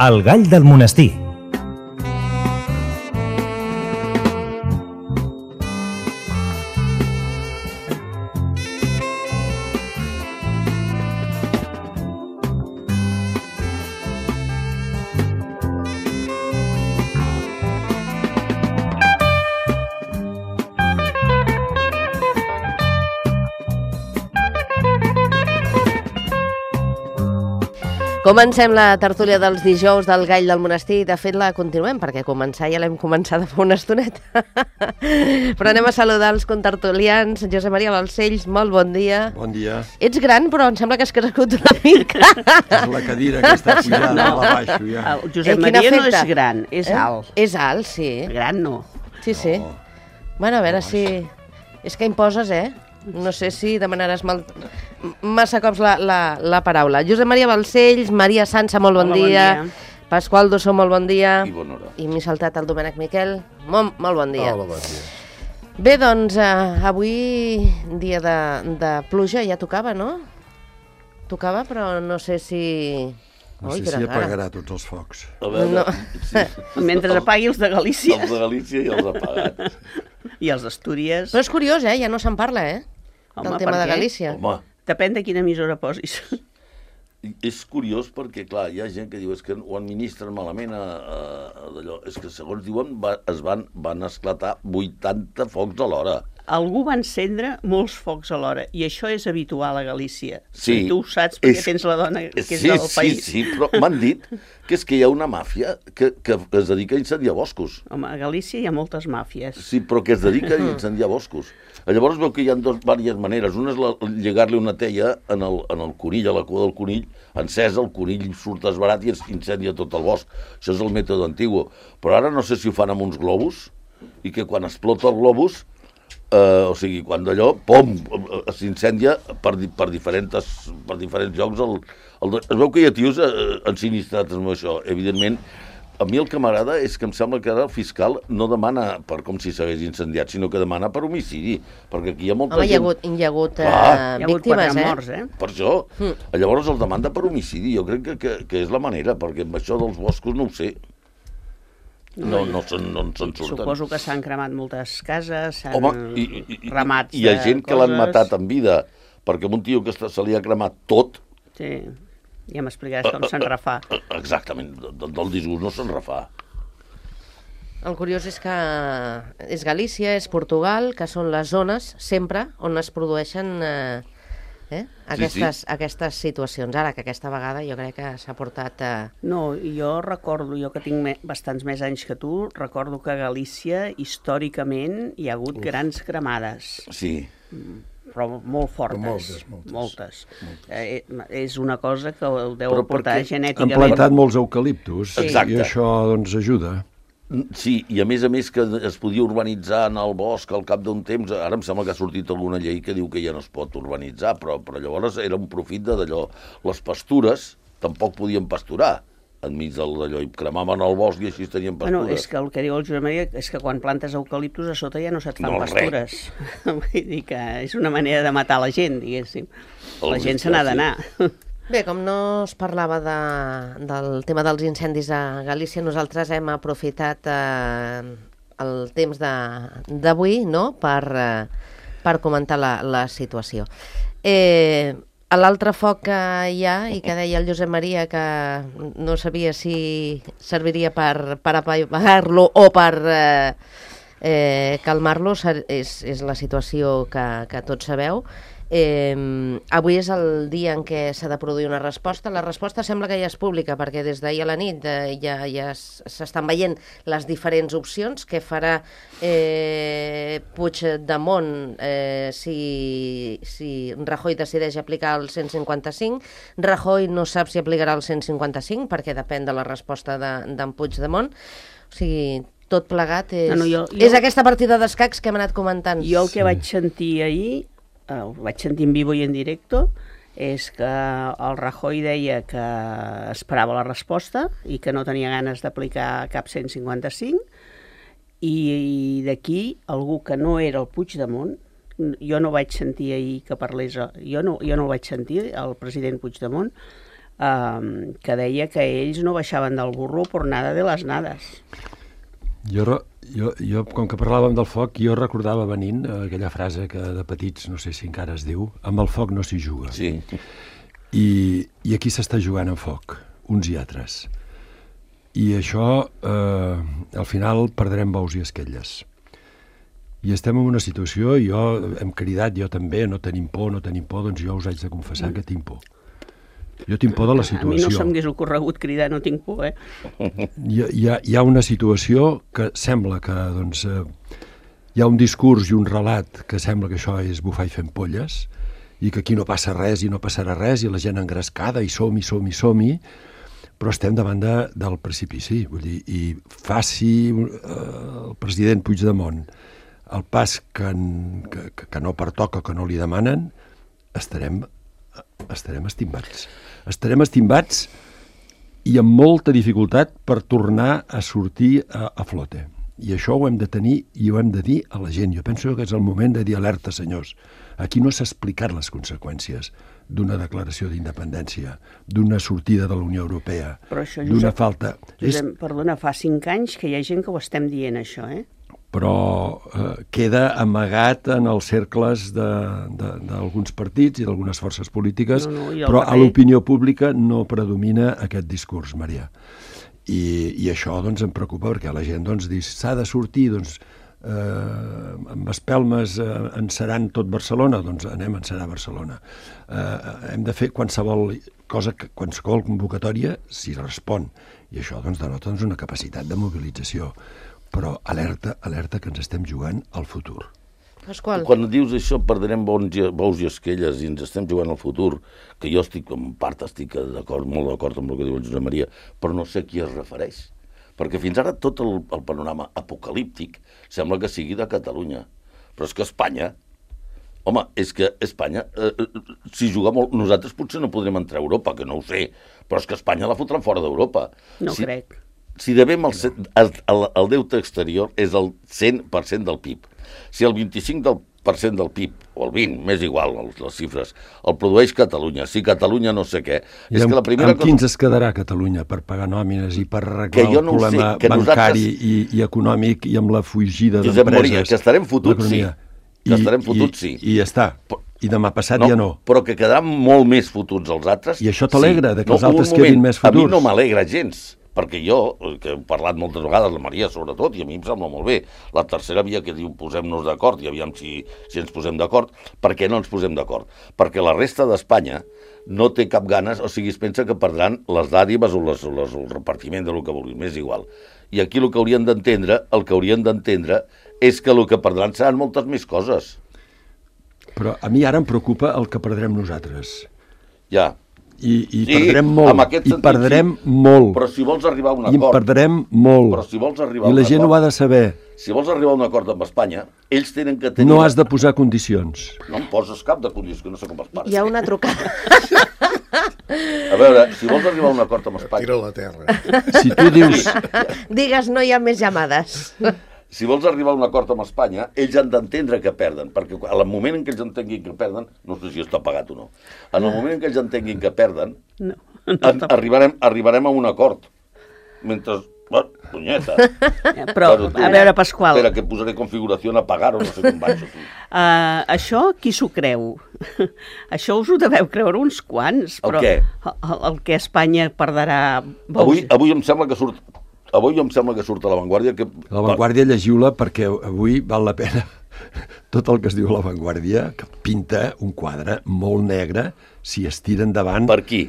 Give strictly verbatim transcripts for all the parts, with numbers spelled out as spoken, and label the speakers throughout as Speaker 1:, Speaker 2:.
Speaker 1: El gall del monestir.
Speaker 2: Comencem la tertúlia dels dijous del Gall del Monestir. De fet, la continuem, perquè començar ja l'hem començat fa una estoneta. Però anem a saludar els contertulians. Josep Maria Balcells, molt bon dia.
Speaker 3: Bon dia.
Speaker 2: Ets gran, però em sembla que has crescut una mica.
Speaker 3: És la cadira que està pujant no. a la baixo, ja.
Speaker 4: El Josep eh, Maria no és gran, és eh? alt.
Speaker 2: És alt, sí.
Speaker 4: Gran no.
Speaker 2: Sí, sí. No. Bueno, a veure no, si... És que imposes, eh? No sé si demanaràs mal... massa cops la, la, la paraula. Josep Maria Balcells, Maria Sança, molt bon, dia. bon dia. Pasqual Dossó, molt bon dia.
Speaker 5: I bona hora.
Speaker 2: I m'he saltat el Domènec Miquel. Molt, molt bon dia.
Speaker 3: Hola, bon dia.
Speaker 2: Bé, doncs, eh, avui, dia de, de pluja, ja tocava, no? Tocava, però no sé si...
Speaker 3: No sé Oi, si apagarà tots els focs.
Speaker 5: A veure,
Speaker 2: no.
Speaker 5: sí.
Speaker 4: Mentre apagui els de Galícia.
Speaker 5: Els de Galícia ja els ha apagat.
Speaker 4: I els d'Astúries...
Speaker 2: Però és curiós, eh? Ja no se'n parla, eh?
Speaker 4: Home,
Speaker 2: del tema de Galícia.
Speaker 5: Home.
Speaker 4: Depèn de quina emissora posis.
Speaker 5: És curiós perquè, clar, hi ha gent que diu és que ho administren malament a, a, a d'allò. És que, segons diuen, va, es van, van esclatar vuitanta focs a l'hora.
Speaker 4: Algú va encendre molts focs a l'hora, i això és habitual a Galícia.
Speaker 5: Sí.
Speaker 4: I tu ho saps perquè
Speaker 5: és,
Speaker 4: tens la dona que és
Speaker 5: sí,
Speaker 4: del país.
Speaker 5: Sí, sí, però m'han dit que és que hi ha una màfia que, que es dedica a incendiar boscos.
Speaker 4: Home, a Galícia hi ha moltes màfies.
Speaker 5: Sí, però que es dedica a incendiar boscos. Llavors veu que hi ha dos, diverses maneres. Una és la, llegar-li una teia en el, en el conill, a la cua del conill, encesa, el conill surt esbarat i es incendia tot el bosc. Això és el mètode antigu. Però ara no sé si ho fan amb uns globus, i que quan explota el globus, eh, o sigui, quan d'allò, pom, s'incendia per, per, diferents, per diferents llocs. El, el, es veu que hi ha tios eh, ensinistrats amb això, evidentment. A mi el que m'agrada és que em sembla que ara el fiscal no demana per com si s'hagués incendiat, sinó que demana per homicidi, perquè aquí hi ha molta
Speaker 2: Home,
Speaker 5: gent...
Speaker 2: hi ha hagut, hi ha hagut uh,
Speaker 4: hi ha
Speaker 2: víctimes, eh?
Speaker 4: morts, eh?
Speaker 5: Per això. Mm. Llavors el demanda per homicidi. Jo crec que, que, que és la manera, perquè amb això dels boscos no ho sé. No, no, se'n no se surten.
Speaker 4: Suposo que s'han cremat moltes cases, s'han ramats de
Speaker 5: Hi ha gent que l'han
Speaker 4: coses.
Speaker 5: matat en vida, perquè un tio que se li ha cremat tot...
Speaker 4: Sí. Ja m'explicaràs com se'n refà.
Speaker 5: Exactament, del disgust no se'n refà.
Speaker 2: El curiós és que és Galícia, és Portugal, que són les zones, sempre, on es produeixen eh, eh, aquestes, sí, sí. aquestes situacions. Ara, que aquesta vegada jo crec que s'ha portat... Eh...
Speaker 4: No, jo recordo, jo que tinc me, bastants més anys que tu, recordo que a Galícia, històricament, hi ha hagut Uf. grans cremades.
Speaker 5: Sí.
Speaker 4: Mm. Però molt fortes,
Speaker 3: moltes, moltes,
Speaker 4: moltes.
Speaker 3: moltes.
Speaker 4: Eh, és una cosa que el deu
Speaker 5: però
Speaker 4: portar genèticament.
Speaker 3: Han plantat molts eucaliptus,
Speaker 5: sí.
Speaker 3: i això doncs ajuda.
Speaker 5: Sí, i a més a més que es podia urbanitzar en el bosc al cap d'un temps. Ara em sembla que ha sortit alguna llei que diu que ja no es pot urbanitzar, però, però llavors era un profit d'allò. Les pastures tampoc podien pasturar enmig d'allò, i cremaven el bosc i així tenien pastures.
Speaker 4: Bueno, és que el que diu el Josep Maria és que quan plantes eucaliptus a sota ja no se't fan
Speaker 5: no,
Speaker 4: pastures. Vull dir que és una manera de matar la gent, diguéssim. El la gent se n'ha d'anar.
Speaker 2: Bé, com no es parlava de, del tema dels incendis a Galícia, nosaltres hem aprofitat eh, el temps d'avui, no?, per, eh, per comentar la, la situació. Eh... L'altre foc que hi ha, i que deia el Josep Maria que no sabia si serviria per, per apagar-lo o per eh, eh, calmar-lo, és, és la situació que, que tots sabeu. Eh, avui és el dia en què s'ha de produir una resposta. La resposta sembla que ja és pública, perquè des d'ahir a la nit eh, ja, ja s'estan veient les diferents opcions que farà eh, Puigdemont eh, si, si Rajoy decideix aplicar el cent cinquanta-cinc. Rajoy no sap si aplicarà el cent cinquanta-cinc perquè depèn de la resposta d'en de, Puigdemont. O sigui, tot plegat és, no, no, jo, jo... és aquesta partida d'escacs que hem anat comentant.
Speaker 4: Jo el que vaig sentir ahir, ho vaig sentir en vivo i en directo, és que el Rajoy deia que esperava la resposta i que no tenia ganes d'aplicar cap cent cinquanta-cinc, i, i d'aquí algú que no era el Puigdemont, jo no vaig sentir ahir que parlés, jo no, jo no el vaig sentir, el president Puigdemont, eh, que deia que ells no baixaven del burro por nada de les nades.
Speaker 3: Jo, jo, jo, com que parlàvem del foc, jo recordava venint aquella frase que de petits, no sé si encara es diu, amb el foc no s'hi juga.
Speaker 5: Sí.
Speaker 3: I, i aquí s'està jugant amb foc, uns i altres. I això, eh, al final, perdrem bous i esquelles. I estem en una situació, i jo hem cridat, jo també, no tenim por, no tenim por, doncs jo us haig de confessar que tinc por. Jo tinc por de la situació.
Speaker 4: A mi no se'm hagués ocorregut cridar, no tinc por, eh?
Speaker 3: Hi, hi, ha, hi ha una situació que sembla que, doncs, eh, hi ha un discurs i un relat que sembla que això és bufar i fent polles, i que aquí no passa res i no passarà res, i la gent engrescada, i som-hi, som-hi, som-hi, però estem davant de, del precipici. Vull dir, i faci eh, el president Puigdemont el pas que, que, que no pertoca, que no li demanen, estarem, estarem estimbats. Estarem estimbats i amb molta dificultat per tornar a sortir a, a flote. I això ho hem de tenir i ho hem de dir a la gent. Jo penso que és el moment de dir alerta, senyors. Aquí no s'ha explicat les conseqüències d'una declaració d'independència, d'una sortida de la Unió Europea, d'una falta...
Speaker 4: Josep, perdona, fa cinc anys que hi ha gent que ho estem dient, això, eh?
Speaker 3: Però eh, queda amagat en els cercles d'alguns partits i d'algunes forces polítiques, no, no, però a l'opinió pública no predomina aquest discurs, Maria. I, i això doncs, em preocupa perquè la gent doncs, diu s'ha de sortir, doncs, eh, amb espelmes eh, encerar tot Barcelona, doncs anem a encerar Barcelona. Eh, hem de fer qualsevol cosa, qualsevol convocatòria si respon, i això doncs, denota doncs, una capacitat de mobilització. Però alerta, alerta que ens estem jugant al futur.
Speaker 2: Pasqual.
Speaker 5: Quan dius això, perdrem bous i esquelles i ens estem jugant al futur, que jo estic, en part estic d'acord, molt d'acord amb el que diu el Josep Maria, però no sé a qui es refereix. Perquè fins ara tot el, el panorama apocalíptic sembla que sigui de Catalunya. Però és que Espanya, home, és que Espanya, eh, si juga molt, nosaltres potser no podrem entrar a Europa, que no ho sé, però és que Espanya la fotran fora d'Europa.
Speaker 4: No
Speaker 5: si,
Speaker 4: crec.
Speaker 5: Si devem el, el, el, el deute exterior és el cent per cent del P I B. Si el vint-i-cinc per cent del P I B, o el vint, m'és igual les xifres, el produeix Catalunya, si Catalunya no sé què...
Speaker 3: I és amb, que la primera amb cosa... quins es quedarà Catalunya per pagar nòmines i per arreglar el no problema sé, bancari nosaltres... i, i econòmic i amb la fugida d'empreses?
Speaker 5: Josep Maria, que estarem fotuts, sí. Que estarem fotuts, sí.
Speaker 3: I, i ja està. I demà passat
Speaker 5: no,
Speaker 3: ja no.
Speaker 5: Però que quedaran molt més fotuts els altres...
Speaker 3: I això t'alegra, sí. De que els
Speaker 5: no,
Speaker 3: altres quedin més futurs?
Speaker 5: A mi no m'alegra gens, perquè jo, que he parlat moltes vegades, la Maria sobretot, i a mi em sembla molt bé, la tercera via que diu posem-nos d'acord, i aviam si, si ens posem d'acord, per què no ens posem d'acord? Perquè la resta d'Espanya no té cap ganes, o sigui, es pensa que perdran les dàdives o, les, o les, el repartiment de lo que vulguin, m'és igual. I aquí el que haurien d'entendre, el que haurien d'entendre és que el que perdran seran moltes més coses.
Speaker 3: Però a mi ara em preocupa el que perdrem nosaltres.
Speaker 5: Ja.
Speaker 3: I, i
Speaker 5: sí,
Speaker 3: perdrem molt, sentit, i perdrem
Speaker 5: sí.
Speaker 3: molt.
Speaker 5: Però si vols arribar a un
Speaker 3: acord... I en perdrem molt.
Speaker 5: Però si vols arribar
Speaker 3: I la gent
Speaker 5: acord,
Speaker 3: ho ha de saber.
Speaker 5: Si vols arribar a un acord amb Espanya, ells tenen que tenir...
Speaker 3: No has de posar condicions.
Speaker 5: No em poses cap de condicions, que no sé com es parla.
Speaker 2: Hi ha una trucada.
Speaker 5: A veure, si vols arribar a un acord amb Espanya...
Speaker 1: Tira la terra.
Speaker 3: Si tu dius...
Speaker 2: Digues, no hi ha més llamades.
Speaker 5: Si vols arribar a un acord amb Espanya, ells han d'entendre que perden, perquè al moment en què ells entenguin que perden, no sé si està pagat o no, en el moment en què ells entenguin que perden,
Speaker 4: no, no
Speaker 5: en, arribarem, arribarem a un acord. Mentre... Bueno, punyeta.
Speaker 4: Però, tu, a veure, Pasqual...
Speaker 5: Espera, que posaré configuració a pagar o no sé com vaig.
Speaker 4: Uh, això, qui s'ho creu? Això us ho deveu creure uns quants, però...
Speaker 5: El què?
Speaker 4: El, el que Espanya perdrà...
Speaker 5: Avui, avui em sembla que surt... Avui em sembla que surt a La Vanguardia... Que...
Speaker 3: La Vanguardia, llegiu-la, perquè avui val la pena tot el que es diu a La Vanguardia, que pinta un quadre molt negre si es tira endavant...
Speaker 5: Per qui?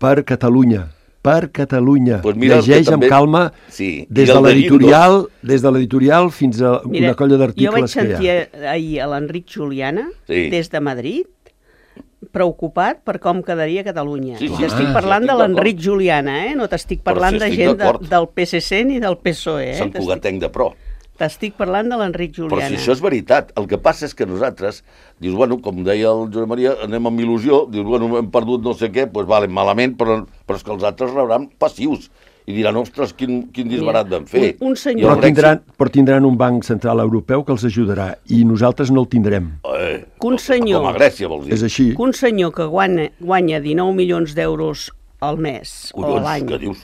Speaker 3: Per Catalunya. Per Catalunya.
Speaker 5: Pues mira,
Speaker 3: llegeix també... amb calma
Speaker 5: sí.
Speaker 3: des de l'editorial des de l'editorial fins a mira, una colla d'articles que hi ha.
Speaker 4: Jo vaig sentir ahir a l'Enric Juliana, sí. Des de Madrid, preocupat per com quedaria Catalunya.
Speaker 5: Sí, sí.
Speaker 4: T'estic parlant sí, de l'Enric Juliana, eh? No t'estic parlant si de gent de, del P S C ni del P S O E. Eh?
Speaker 5: Sant Cugatenc de Pro.
Speaker 4: T'estic parlant de l'Enric Juliana.
Speaker 5: Però si això és veritat, el que passa és que nosaltres, dius, bueno, com deia el Josep Maria, anem amb il·lusió, dius, bueno, hem perdut no sé què, doncs vale, malament, però, però és que els altres rebran passius. I diran, ostres, quin, quin disbarat vam fer.
Speaker 4: Un, un senyor...
Speaker 3: Però tindran, però tindran un banc central europeu que els ajudarà, i nosaltres no el tindrem.
Speaker 5: Eh,
Speaker 4: un senyor,
Speaker 5: com a Grècia, vols dir.
Speaker 3: És així.
Speaker 4: Un senyor que guanya, guanya dinou milions d'euros al mes o a
Speaker 5: Collons,
Speaker 4: l'any,
Speaker 5: que dius?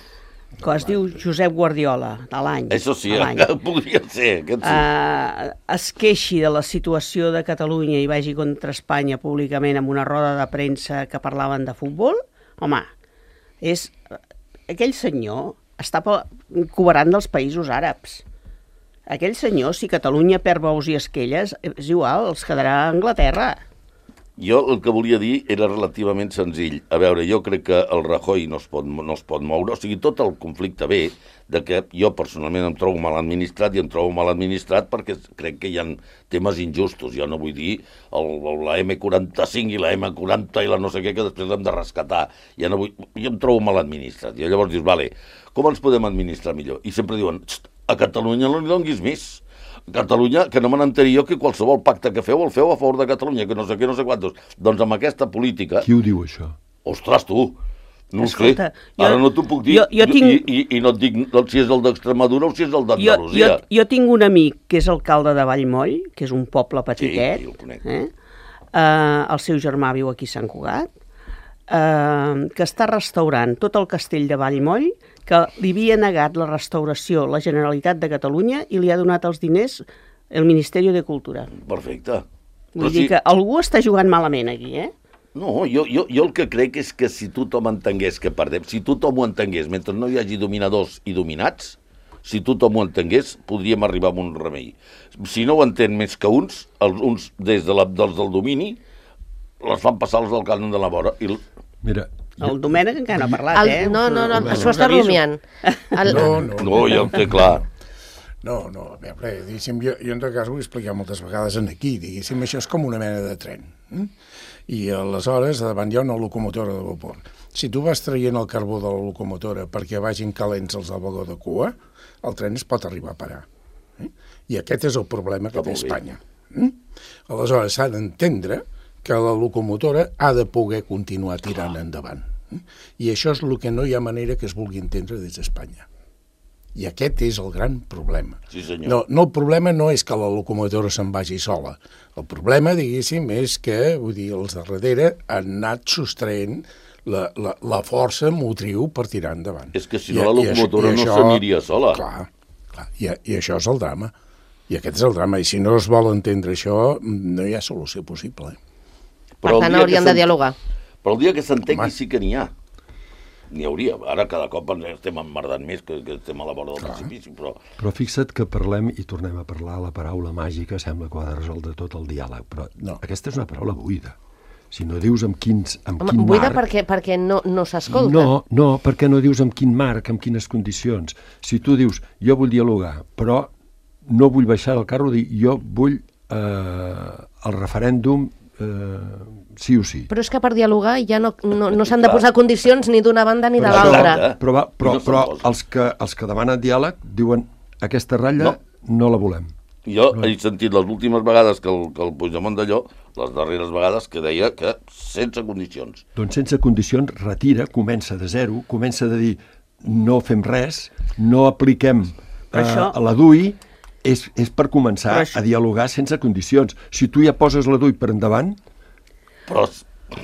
Speaker 4: que es diu Josep Guardiola, de l'any.
Speaker 5: Això sí,
Speaker 4: a l'any,
Speaker 5: podria ser, aquest sí.
Speaker 4: eh, es queixi de la situació de Catalunya i vagi contra Espanya públicament amb una roda de premsa que parlaven de futbol, home, és... aquell senyor està cobrant dels països àrabs. Aquell senyor, si Catalunya perd bous i esquelles, és igual, els quedarà a Anglaterra.
Speaker 5: Jo el que volia dir era relativament senzill. A veure, jo crec que el Rajoy no es pot, no es pot moure, o sigui, tot el conflicte ve de que jo personalment em trobo mal administrat i em trobo mal administrat perquè crec que hi ha temes injustos. Jo no vull dir el, la eme quaranta-cinc i la eme quaranta i la no sé què que després hem de rescatar. Ja no vull, jo em trobo mal administrat. I llavors dius, vale, com ens podem administrar millor? I sempre diuen, a Catalunya no li donguis més. Catalunya, que no me n'enteri jo que qualsevol pacte que feu el feu a favor de Catalunya, que no sé què, no sé quantos. Doncs amb aquesta política...
Speaker 3: Qui ho diu, això?
Speaker 5: Ostres, tu! No
Speaker 4: Escolta,
Speaker 5: ho sé. Ara
Speaker 4: jo,
Speaker 5: no t'ho puc dir.
Speaker 4: Jo, jo tinc...
Speaker 5: I, i, I no et dic si és el d'Extremadura o si és el d'Andalusia.
Speaker 4: Jo, jo, jo tinc un amic que és alcalde de Vallmoll, que és un poble petitet.
Speaker 5: Sí, jo el conec.
Speaker 4: Eh? Uh, el seu germà viu aquí a Sant Cugat, uh, que està restaurant tot el castell de Vallmoll, que li havia negat la restauració la Generalitat de Catalunya i li ha donat els diners el Ministeri de Cultura.
Speaker 5: Perfecte.
Speaker 4: Vull
Speaker 5: Però
Speaker 4: dir
Speaker 5: si...
Speaker 4: que algú està jugant malament aquí, eh?
Speaker 5: No, jo, jo, jo el que crec és que si tothom entengués que perdem, si tothom ho entengués, mentre no hi hagi dominadors i dominats, si tothom ho entengués, podríem arribar a un remei. Si no ho entén més que uns, els, uns des de la, dels del domini, les fan passar els del cànon de la vora. I...
Speaker 3: Mira,
Speaker 4: El Domènec encara no ha parlat,
Speaker 2: El,
Speaker 4: eh?
Speaker 2: no, no, no,
Speaker 3: Us-
Speaker 2: això
Speaker 4: us
Speaker 2: està
Speaker 4: aviso.
Speaker 2: rumiant. El,
Speaker 1: No, no.
Speaker 5: No, ja ho té clar.
Speaker 1: No, no, a veure, diguéssim, jo, jo en tot cas ho he explicat moltes vegades en aquí, diguéssim, això és com una mena de tren. Eh? I aleshores davant hi ha una locomotora de vapor. Si tu vas traient el carbó de la locomotora perquè vagin calents els del vagó de cua, el tren es pot arribar a parar. Eh? I aquest és el problema que té Espanya. Eh? Aleshores s'ha d'entendre que la locomotora ha de poder continuar tirant endavant. Eh? I això és el que no hi ha manera que es vulgui entendre des d'Espanya. I aquest és el gran problema.
Speaker 5: Sí, senyor.
Speaker 1: No, no, el problema no és que la locomotora se'n vagi sola. El problema, diguéssim, és que, vull dir, els de darrere han anat sostraient la, la, la força motriu per tirar endavant.
Speaker 5: És que si no la locomotora no s'aniria sola.
Speaker 1: Clar, clar i, i això és el drama. I aquest és el drama. I si no es vol entendre això, no hi ha solució possible. Eh?
Speaker 2: per tant, haurien de dialogar.
Speaker 5: Però el dia que s'entengui
Speaker 1: Home.
Speaker 5: sí que n'hi ha. N'hi hauria. Ara cada cop ens estem emmerdant més que, que estem a la vora del precipici, però...
Speaker 3: Però fixa't que parlem i tornem a parlar, la paraula màgica sembla que ho ha de resoldre tot el diàleg, però
Speaker 1: No.
Speaker 3: aquesta és una paraula buida. Si no dius amb, quins, amb
Speaker 2: Home,
Speaker 3: quin
Speaker 2: buida
Speaker 3: marc...
Speaker 2: perquè, perquè no, no s'escolta.
Speaker 3: No, no, perquè no dius amb quin marc, amb quines condicions. Si tu dius, jo vull dialogar, però no vull baixar del carro, dir, jo vull eh, el referèndum eh, sí o sí.
Speaker 2: Però és que per dialogar ja no, no, no s'han de
Speaker 5: Clar.
Speaker 2: posar condicions ni d'una banda ni de
Speaker 3: Però-
Speaker 2: l'altra.
Speaker 5: Exacte.
Speaker 3: Però, va, però,
Speaker 5: I no se'n
Speaker 3: però
Speaker 5: posa.
Speaker 3: els, que, els que demanen diàleg diuen aquesta ratlla no,
Speaker 5: No.
Speaker 3: no la volem.
Speaker 5: Jo he sentit les últimes vegades que el, que el Puigdemont d'allò, les darreres vegades, que deia que sense condicions.
Speaker 3: Doncs sense condicions retira, comença de zero, comença de dir no fem res, no apliquem eh,
Speaker 4: això-
Speaker 3: a la D U I, és, és per començar
Speaker 4: Però això-
Speaker 3: a dialogar sense condicions. Si tu ja poses la D U I per endavant,
Speaker 5: Però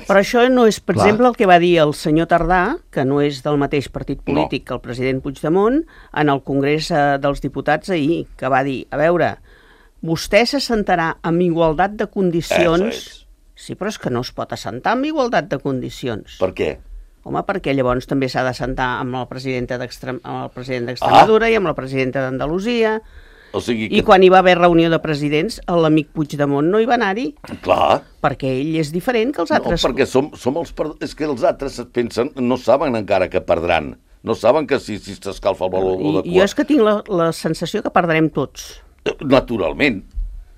Speaker 4: Però això no és, per
Speaker 3: Clar.
Speaker 4: exemple, el que va dir el senyor Tardà, que no és del mateix partit polític
Speaker 5: No.
Speaker 4: que el president Puigdemont, en el Congrés eh, dels Diputats ahir, que va dir, a veure, vostè s'assentarà amb igualtat de condicions...
Speaker 5: Eso és.
Speaker 4: Sí, però és que no es pot assentar amb igualtat de condicions.
Speaker 5: per què?
Speaker 4: Home, perquè llavors també s'ha d'assentar amb la presidenta d'Extrem- amb el president d'Extremadura ah. i amb la presidenta d'Andalusia.
Speaker 5: O sigui
Speaker 4: I
Speaker 5: que...
Speaker 4: quan hi va haver reunió de presidents, l'amic Puigdemont no hi va anar-hi,
Speaker 5: Clar.
Speaker 4: perquè ell és diferent que els
Speaker 5: No,
Speaker 4: altres.
Speaker 5: perquè som, som els... Per... És que els altres es pensen, no saben encara que perdran. No saben que si si s'escalfa el baló
Speaker 4: I,
Speaker 5: de
Speaker 4: I
Speaker 5: cua...
Speaker 4: jo és que tinc la, la sensació que perdrem tots.
Speaker 5: Naturalment.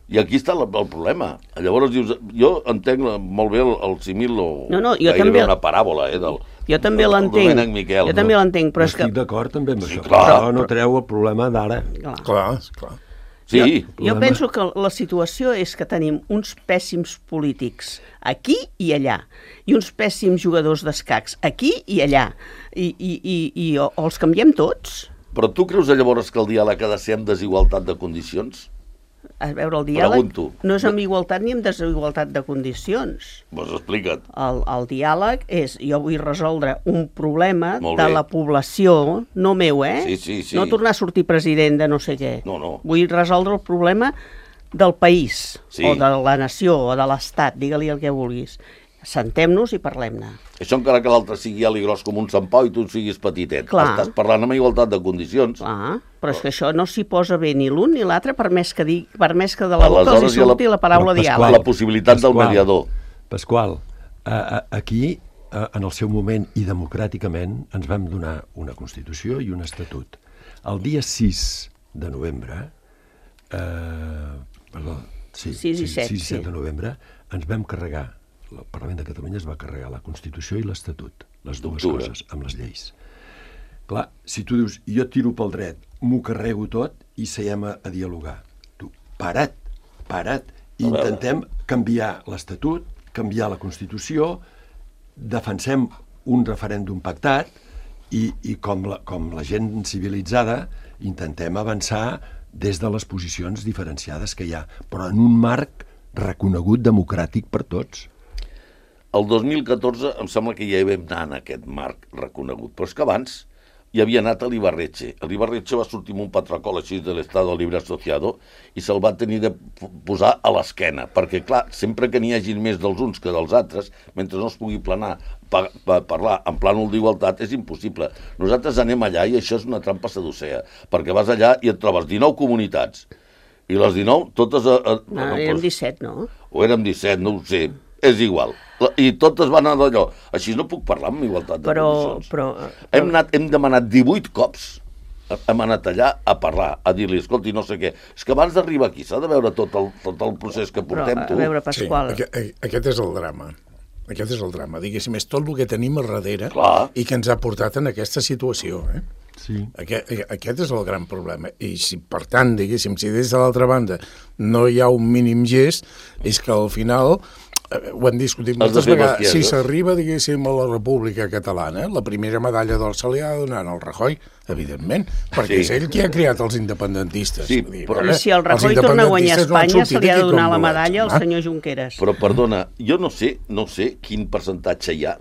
Speaker 5: I aquí està el, el problema. Llavors dius, jo entenc la, molt bé el, el simil o
Speaker 4: No, no, jo
Speaker 5: gairebé
Speaker 4: també-
Speaker 5: una paràbola, eh, del,
Speaker 4: Jo també
Speaker 5: del- del
Speaker 4: l'entenc.
Speaker 5: Domènec Miquel.
Speaker 4: Jo també l'entenc, però és que...
Speaker 3: estic d'acord també amb
Speaker 5: Sí,
Speaker 3: això.
Speaker 5: clar.
Speaker 3: Però no treu el problema d'ara.
Speaker 4: Clar.
Speaker 1: Clar, clar.
Speaker 5: Sí,
Speaker 4: Jo, jo
Speaker 3: problema-
Speaker 4: penso que la situació és que tenim uns pèssims polítics aquí i allà, i uns pèssims jugadors d'escacs aquí i allà, i, i, i, i o, o els canviem tots?
Speaker 5: però tu creus llavors que el diàleg ha de ser amb desigualtat de condicions?
Speaker 4: A veure, el diàleg
Speaker 5: Pregunto.
Speaker 4: no és amb igualtat ni amb desigualtat de condicions.
Speaker 5: Pues explica't.
Speaker 4: El, el diàleg és, jo vull resoldre un problema
Speaker 5: Molt
Speaker 4: de
Speaker 5: bé.
Speaker 4: la població, no meu, eh?
Speaker 5: Sí, sí, sí.
Speaker 4: No tornar a sortir president de no sé què.
Speaker 5: No, no.
Speaker 4: Vull resoldre el problema del país,
Speaker 5: Sí.
Speaker 4: o de la nació, o de l'estat, digue-li el que vulguis. Sentem-nos i parlem-ne.
Speaker 5: Això encara que l'altre sigui alt i gros com un Sant Pau i tu siguis petitet.
Speaker 4: Clar.
Speaker 5: Estàs parlant amb igualtat de condicions.
Speaker 4: Clar, però és que això no s'hi posa bé ni l'un ni l'altre, per més que digui, per més que de la boca
Speaker 5: Aleshores
Speaker 4: els hi
Speaker 5: hi ha la-
Speaker 4: surti la paraula
Speaker 3: Però, Pasqual,
Speaker 4: diàleg.
Speaker 5: La possibilitat del mediador.
Speaker 3: Pasqual, a, a, aquí, a, en el seu moment i democràticament, ens vam donar una Constitució i un Estatut. El dia sis de novembre, eh, perdó, sí,
Speaker 4: sis i set,
Speaker 3: sis i set
Speaker 4: sí.
Speaker 3: de novembre, ens vam carregar, el Parlament de Catalunya es va carregar la Constitució i l'Estatut, les dues
Speaker 5: D'octubre.
Speaker 3: coses, amb les lleis. Clar, si tu dius, jo tiro pel dret, m'ho carrego tot i seiem a, a dialogar. Tu, para't, para't, i
Speaker 5: A veure.
Speaker 3: intentem canviar l'Estatut, canviar la Constitució, defensem un referèndum pactat i, i com, la, com la gent civilitzada intentem avançar des de les posicions diferenciades que hi ha, però en un marc reconegut democràtic per tots.
Speaker 5: El dos mil catorze em sembla que ja hi vam anar en aquest marc reconegut, però és que abans hi havia anat a l'Ibarretxe. L'Ibarretxe va sortir amb un patracol així de l'Estado Libre Asociado i se'l va tenir de posar a l'esquena, perquè, clar, sempre que n'hi hagi més dels uns que dels altres, mentre no es pugui planar, pa, pa, parlar en plànol d'igualtat, és impossible. Nosaltres anem allà i això és una trampa seducea, perquè vas allà i et trobes dinou comunitats, i les dinou, totes... A, a,
Speaker 4: No,
Speaker 5: a,
Speaker 4: érem disset, no?
Speaker 5: o érem disset, no ho sé, és igual. I totes van anar d'allò. Així no puc parlar amb igualtat de
Speaker 4: Però,
Speaker 5: condicions.
Speaker 4: però,
Speaker 5: Hem, anat, hem demanat divuit cops, hem anat allà a parlar, a dir-li, escolti, no sé què. És que abans d'arribar aquí s'ha de veure tot el, tot el procés que
Speaker 4: però
Speaker 5: portem,
Speaker 4: a
Speaker 5: tu.
Speaker 4: veure, Pasqual,
Speaker 1: Sí, aquest, aquest és el drama. Aquest és el drama. Diguéssim, és tot el que tenim a darrere
Speaker 5: Clar.
Speaker 1: i que ens ha portat en aquesta situació. Eh?
Speaker 3: Sí.
Speaker 1: Aquest, aquest és el gran problema. I si, per tant, diguéssim, si des de l'altra banda no hi ha un mínim gest, és que al final, eh, ho hem discutit
Speaker 5: Has de
Speaker 1: moltes
Speaker 5: fer
Speaker 1: vegades,
Speaker 5: bestiesa.
Speaker 1: si s'arriba, diguéssim, a la República Catalana, la primera medalla d'or se li ha de donar al Rajoy, evidentment, perquè
Speaker 5: Sí.
Speaker 1: és ell qui ha creat els independentistes.
Speaker 5: Sí,
Speaker 1: Vull dir,
Speaker 5: però-
Speaker 1: vale,
Speaker 4: i si el
Speaker 1: els
Speaker 4: Rajoy torna a guanyar a
Speaker 1: independentistes no han
Speaker 4: Espanya, se
Speaker 1: sortit
Speaker 4: li ha de
Speaker 1: aquí
Speaker 4: donar
Speaker 1: com
Speaker 4: la
Speaker 1: bolets,
Speaker 4: medalla al
Speaker 1: home.
Speaker 4: senyor Junqueras.
Speaker 5: Però, perdona, jo no sé, no sé quin percentatge hi ha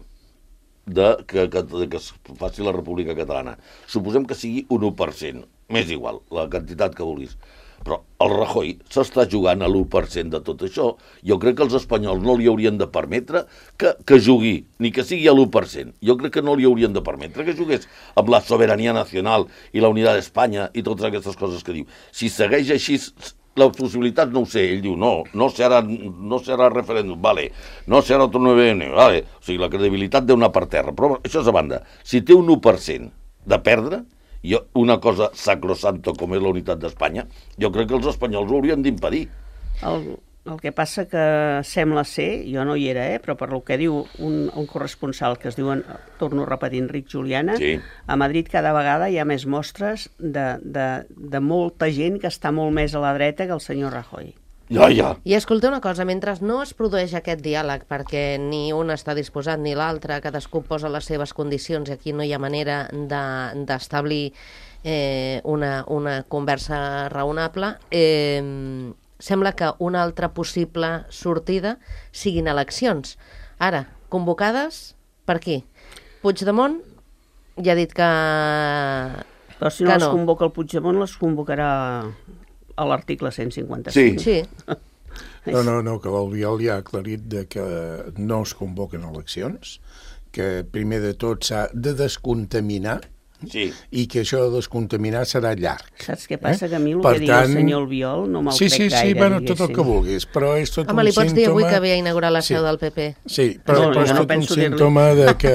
Speaker 5: de que, que, de que es faci la República Catalana. Suposem que sigui un u per cent, m'és igual, la quantitat que vulguis. Però el Rajoy s'està jugant a l'u per cent de tot això. Jo crec que els espanyols no li haurien de permetre que, que jugui, ni que sigui a l'u per cent. Jo crec que no li haurien de permetre que jugués amb la sobirania nacional i la unitat d'Espanya i totes aquestes coses que diu. Si segueix així, la possibilitat no ho sé. Ell diu, no, no serà, no serà referèndum, vale, no serà otro nueve ene, vale. O sigui, la credibilitat deu anar per terra. Però això és a banda. Si té un u per cent de perdre, jo, una cosa sacrosanto com és la unitat d'Espanya, jo crec que els espanyols ho haurien d'impedir.
Speaker 4: El, el que passa que sembla ser, jo no hi era, eh, però per lo que diu un, un corresponsal que es diu, torno a repetir, Enric Juliana,
Speaker 5: Sí.
Speaker 4: a Madrid cada vegada hi ha més mostres de, de, de molta gent que està molt més a la dreta que el senyor Rajoy.
Speaker 5: Ja, ja.
Speaker 2: I escolta una cosa, mentre no es produeix aquest diàleg, perquè ni un està disposat ni l'altre, cadascú posa les seves condicions i aquí no hi ha manera d'establir de, eh, una, una conversa raonable, eh, sembla que una altra possible sortida siguin eleccions. Ara, convocades per qui? Puigdemont ja ha dit que...
Speaker 4: Però si no
Speaker 2: que
Speaker 4: les
Speaker 2: no.
Speaker 4: convoca el Puigdemont, les convocarà a l'article cent cinquanta-cinc.
Speaker 5: Sí.
Speaker 2: Sí,
Speaker 1: No, no, no, que l'Albiol ja ha aclarit de que no es convoquen eleccions, que primer de tot s'ha de descontaminar
Speaker 5: Sí.
Speaker 1: i que això de descontaminar serà llarg.
Speaker 4: Saps què passa?
Speaker 1: Eh?
Speaker 4: Que a mi el
Speaker 1: Per
Speaker 4: que diu
Speaker 1: tant-
Speaker 4: el senyor Albiol no me'l
Speaker 1: Sí,
Speaker 4: crec
Speaker 1: sí, sí,
Speaker 4: gaire,
Speaker 1: bueno, tot el que
Speaker 4: diguéssim.
Speaker 1: vulguis, però és tot
Speaker 2: home,
Speaker 1: un
Speaker 2: li pots
Speaker 1: símptoma...
Speaker 2: dir avui que havia inaugurat la seu
Speaker 1: Sí.
Speaker 2: del P P.
Speaker 1: Sí, però,
Speaker 4: No,
Speaker 1: però és
Speaker 4: jo no
Speaker 1: tot un
Speaker 4: penso dir-li.
Speaker 1: símptoma de, que,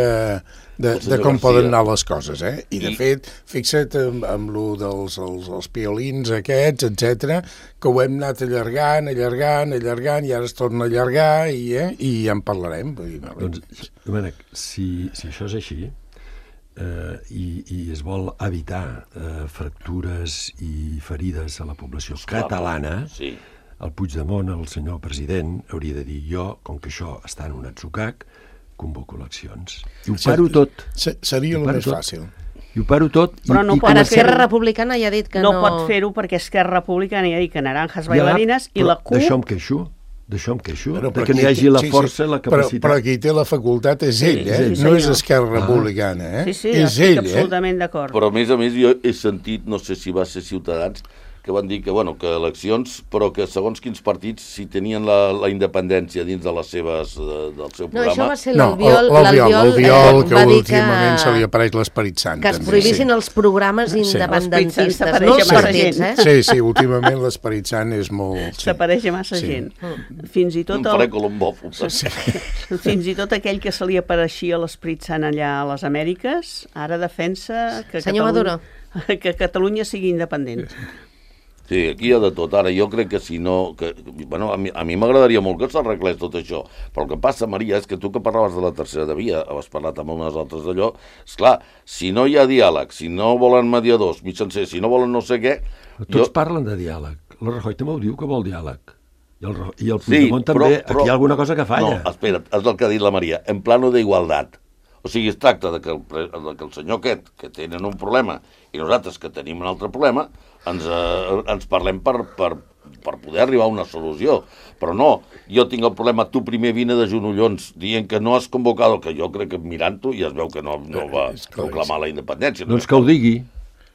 Speaker 1: de,
Speaker 5: José
Speaker 1: de com
Speaker 5: García.
Speaker 1: poden anar les coses, eh? I, de
Speaker 5: I-
Speaker 1: fet, fixa't amb, amb lo dels els, els piolins aquests, etcètera, que ho hem anat allargant, allargant, allargant, i ara es torna a allargar, i, eh? I ja en parlarem. Vull dir, vale.
Speaker 3: Doncs, Domènec, si, si això és així, eh, i, i es vol evitar eh, fractures i ferides a la població
Speaker 5: Esclar,
Speaker 3: catalana,
Speaker 5: sí.
Speaker 3: el Puigdemont, el senyor president, hauria de dir jo, com que això està en un atzucac, convoco eleccions. I ho
Speaker 1: Sí.
Speaker 3: paro tot.
Speaker 1: Se- Seria
Speaker 3: I
Speaker 1: el
Speaker 3: paro
Speaker 1: més
Speaker 3: tot.
Speaker 1: fàcil.
Speaker 3: I ho paro tot. I,
Speaker 4: Però no
Speaker 3: i
Speaker 4: pot
Speaker 2: Ara
Speaker 3: comencem-
Speaker 2: Esquerra Republicana ja ha dit que no...
Speaker 4: No pot fer-ho perquè Esquerra Republicana ja ha dit que naranjas
Speaker 3: Ja,
Speaker 4: bailarines i
Speaker 3: però
Speaker 4: la CUP...
Speaker 3: D'això em queixo, d'això em queixo,
Speaker 1: Però-
Speaker 3: de
Speaker 1: però
Speaker 3: que n'hi
Speaker 1: qui
Speaker 3: hagi
Speaker 1: té-
Speaker 3: la
Speaker 1: sí, sí,
Speaker 3: força, la
Speaker 1: però,
Speaker 3: capacitat.
Speaker 1: però qui té la facultat és ell, eh?
Speaker 4: sí,
Speaker 1: no és
Speaker 4: senyor.
Speaker 1: Esquerra Republicana, eh?
Speaker 4: Sí, sí,
Speaker 1: és
Speaker 4: estic
Speaker 1: ell, eh?
Speaker 4: absolutament d'acord.
Speaker 5: Però a més a més jo he sentit, no sé si va ser Ciutadans, que van dir que, bueno, que eleccions, però que segons quins partits, si tenien la, la independència dins de les seves, de, del seu
Speaker 2: No,
Speaker 5: programa...
Speaker 2: això va ser
Speaker 1: No,
Speaker 2: l'Albiol,
Speaker 1: l'Albiol, l'Albiol,
Speaker 2: eh,
Speaker 1: que
Speaker 2: va dir
Speaker 1: últimament se li apareix l'Esperit Sant.
Speaker 2: que es
Speaker 1: també,
Speaker 2: prohibissin
Speaker 1: sí.
Speaker 2: els programes independentistes,
Speaker 4: s'apareix
Speaker 2: no
Speaker 4: a
Speaker 2: els
Speaker 4: massa
Speaker 2: partits,
Speaker 4: gent.
Speaker 2: eh?
Speaker 1: Sí, sí, últimament l'Esperit Sant és molt... Sí.
Speaker 4: S'apareix a massa
Speaker 1: Sí.
Speaker 4: gent. Fins i tot
Speaker 5: Un
Speaker 4: el,
Speaker 5: faré colombòfob.
Speaker 1: Sí.
Speaker 4: fins i tot aquell que se li apareixia l'Esperit Sant allà a les Amèriques, ara defensa que,
Speaker 2: Senyor
Speaker 4: Catalunya,
Speaker 2: Maduro.
Speaker 4: que Catalunya sigui independent.
Speaker 5: Sí, aquí hi ha de tot. Ara, jo crec que si no... Que, bueno, a mi, a mi m'agradaria molt que s'arreglés tot això, però el que passa, Maria, és que tu que parlaves de la tercera de via, has parlat amb unes altres d'allò, esclar, si no hi ha diàleg, si no volen mediadors, mitjancers, si no volen no sé què...
Speaker 3: Tots
Speaker 5: jo...
Speaker 3: parlen de diàleg. La Rajoy també ho diu que vol diàleg. I el, Ro- i el
Speaker 5: Sí,
Speaker 3: Puigdemont
Speaker 5: però,
Speaker 3: també.
Speaker 5: però...
Speaker 3: Aquí hi ha alguna cosa que falla.
Speaker 5: No, espera't, és el que ha dit la Maria, en plano d'igualtat. O sigui, es tracta de que, el, pre- de que el senyor aquest, que tenen un problema, i nosaltres que tenim un altre problema, ens, eh, ens parlem per, per, per poder arribar a una solució. Però no, jo tinc el problema, tu primer vine de genollons dient que no has convocat, que jo crec que mirant-ho ja es veu que no, no va
Speaker 1: És clar,
Speaker 5: proclamar la independència.
Speaker 3: Doncs que ho digui.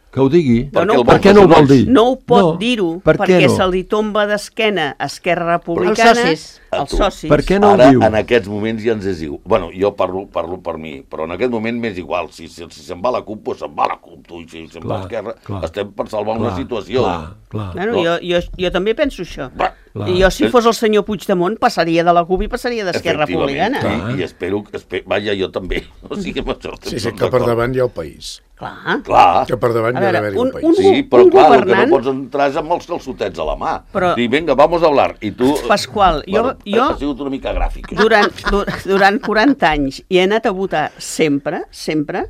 Speaker 3: Que ho digui.
Speaker 5: Per
Speaker 4: no,
Speaker 5: què el
Speaker 4: per
Speaker 5: vol
Speaker 3: què no ho vol
Speaker 5: fer
Speaker 3: dir?
Speaker 4: No ho pot
Speaker 3: No,
Speaker 4: dir-ho,
Speaker 3: per què
Speaker 4: perquè
Speaker 3: no?
Speaker 4: se li tomba d'esquena a Esquerra Republicana...
Speaker 2: Els socis.
Speaker 5: A
Speaker 4: Els
Speaker 5: tu.
Speaker 4: socis.
Speaker 3: Per què no
Speaker 5: Ara,
Speaker 3: ho diu?
Speaker 5: en aquests moments ja ens és igual. Bueno, jo parlo, parlo per mi, però en aquest moment m'és igual. Si, si, si se'n va la CUP, doncs se'n va la CUP, tu, i si se'n va
Speaker 3: Clar,
Speaker 5: l'Esquerra,
Speaker 3: clar.
Speaker 5: estem per salvar una
Speaker 3: Clar,
Speaker 5: situació.
Speaker 3: Clar, clar.
Speaker 4: Bueno,
Speaker 5: No.
Speaker 4: jo, jo, jo també penso això.
Speaker 5: Va.
Speaker 3: Clar.
Speaker 4: I jo, si fos el senyor Puigdemont, passaria de la CUP i passaria d'Esquerra
Speaker 5: Efectivament,
Speaker 4: Republicana.
Speaker 5: I, i espero, espe... vaja, jo també. O sigui, amb això estem
Speaker 1: Sí, sí,
Speaker 5: tots
Speaker 1: que per
Speaker 5: d'acord.
Speaker 1: davant hi ha el país.
Speaker 4: Clar.
Speaker 5: Clar,
Speaker 1: Que per davant
Speaker 4: A
Speaker 1: hi ha
Speaker 4: veure,
Speaker 1: d'haver-hi
Speaker 4: un-
Speaker 1: el país.
Speaker 4: un-
Speaker 5: sí, però
Speaker 4: un
Speaker 5: clar, el que
Speaker 4: governant-
Speaker 5: no pots entrar és amb els calçotets a la mà.
Speaker 4: Però-
Speaker 5: Dir, vinga, vamos a hablar. I tu...
Speaker 4: Pasqual, jo-
Speaker 5: Bueno,
Speaker 4: jo-
Speaker 5: Ha sigut una mica gràfic.
Speaker 4: Durant, du- durant quaranta anys i he anat a votar sempre, sempre,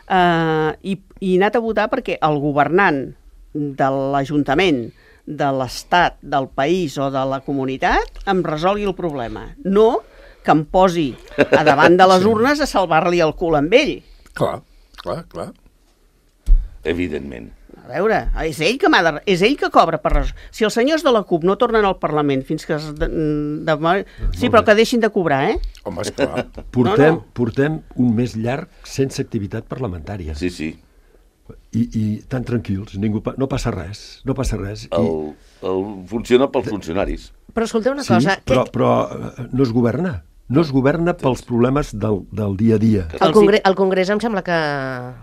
Speaker 4: eh, i, i he anat a votar perquè el governant de l'Ajuntament, de l'Estat, del país o de la comunitat em resolgui el problema. No que em posi a davant de les urnes a salvar-li el cul amb ell.
Speaker 1: Clar, clar, clar.
Speaker 5: Evidentment.
Speaker 4: A veure, és ell que m'ha de... és ell que cobra per res. Si els senyors de la CUP no tornen al Parlament fins que... Es de... De... Sí, però que deixin de cobrar, eh?
Speaker 1: Home, esclar.
Speaker 3: Portem,
Speaker 4: No, no.
Speaker 3: portem un mes llarg sense activitat parlamentària.
Speaker 5: Sí, sí.
Speaker 3: I, i tan tranquils, ningú pa... no passa res, no passa res. I...
Speaker 5: El, el... Funciona pels funcionaris.
Speaker 2: Però escolteu una
Speaker 3: Sí,
Speaker 2: cosa,
Speaker 3: però,
Speaker 2: que
Speaker 3: però eh, no es governa. No es governa pels problemes del, del dia a dia.
Speaker 2: el, Congre el Congrés em sembla que,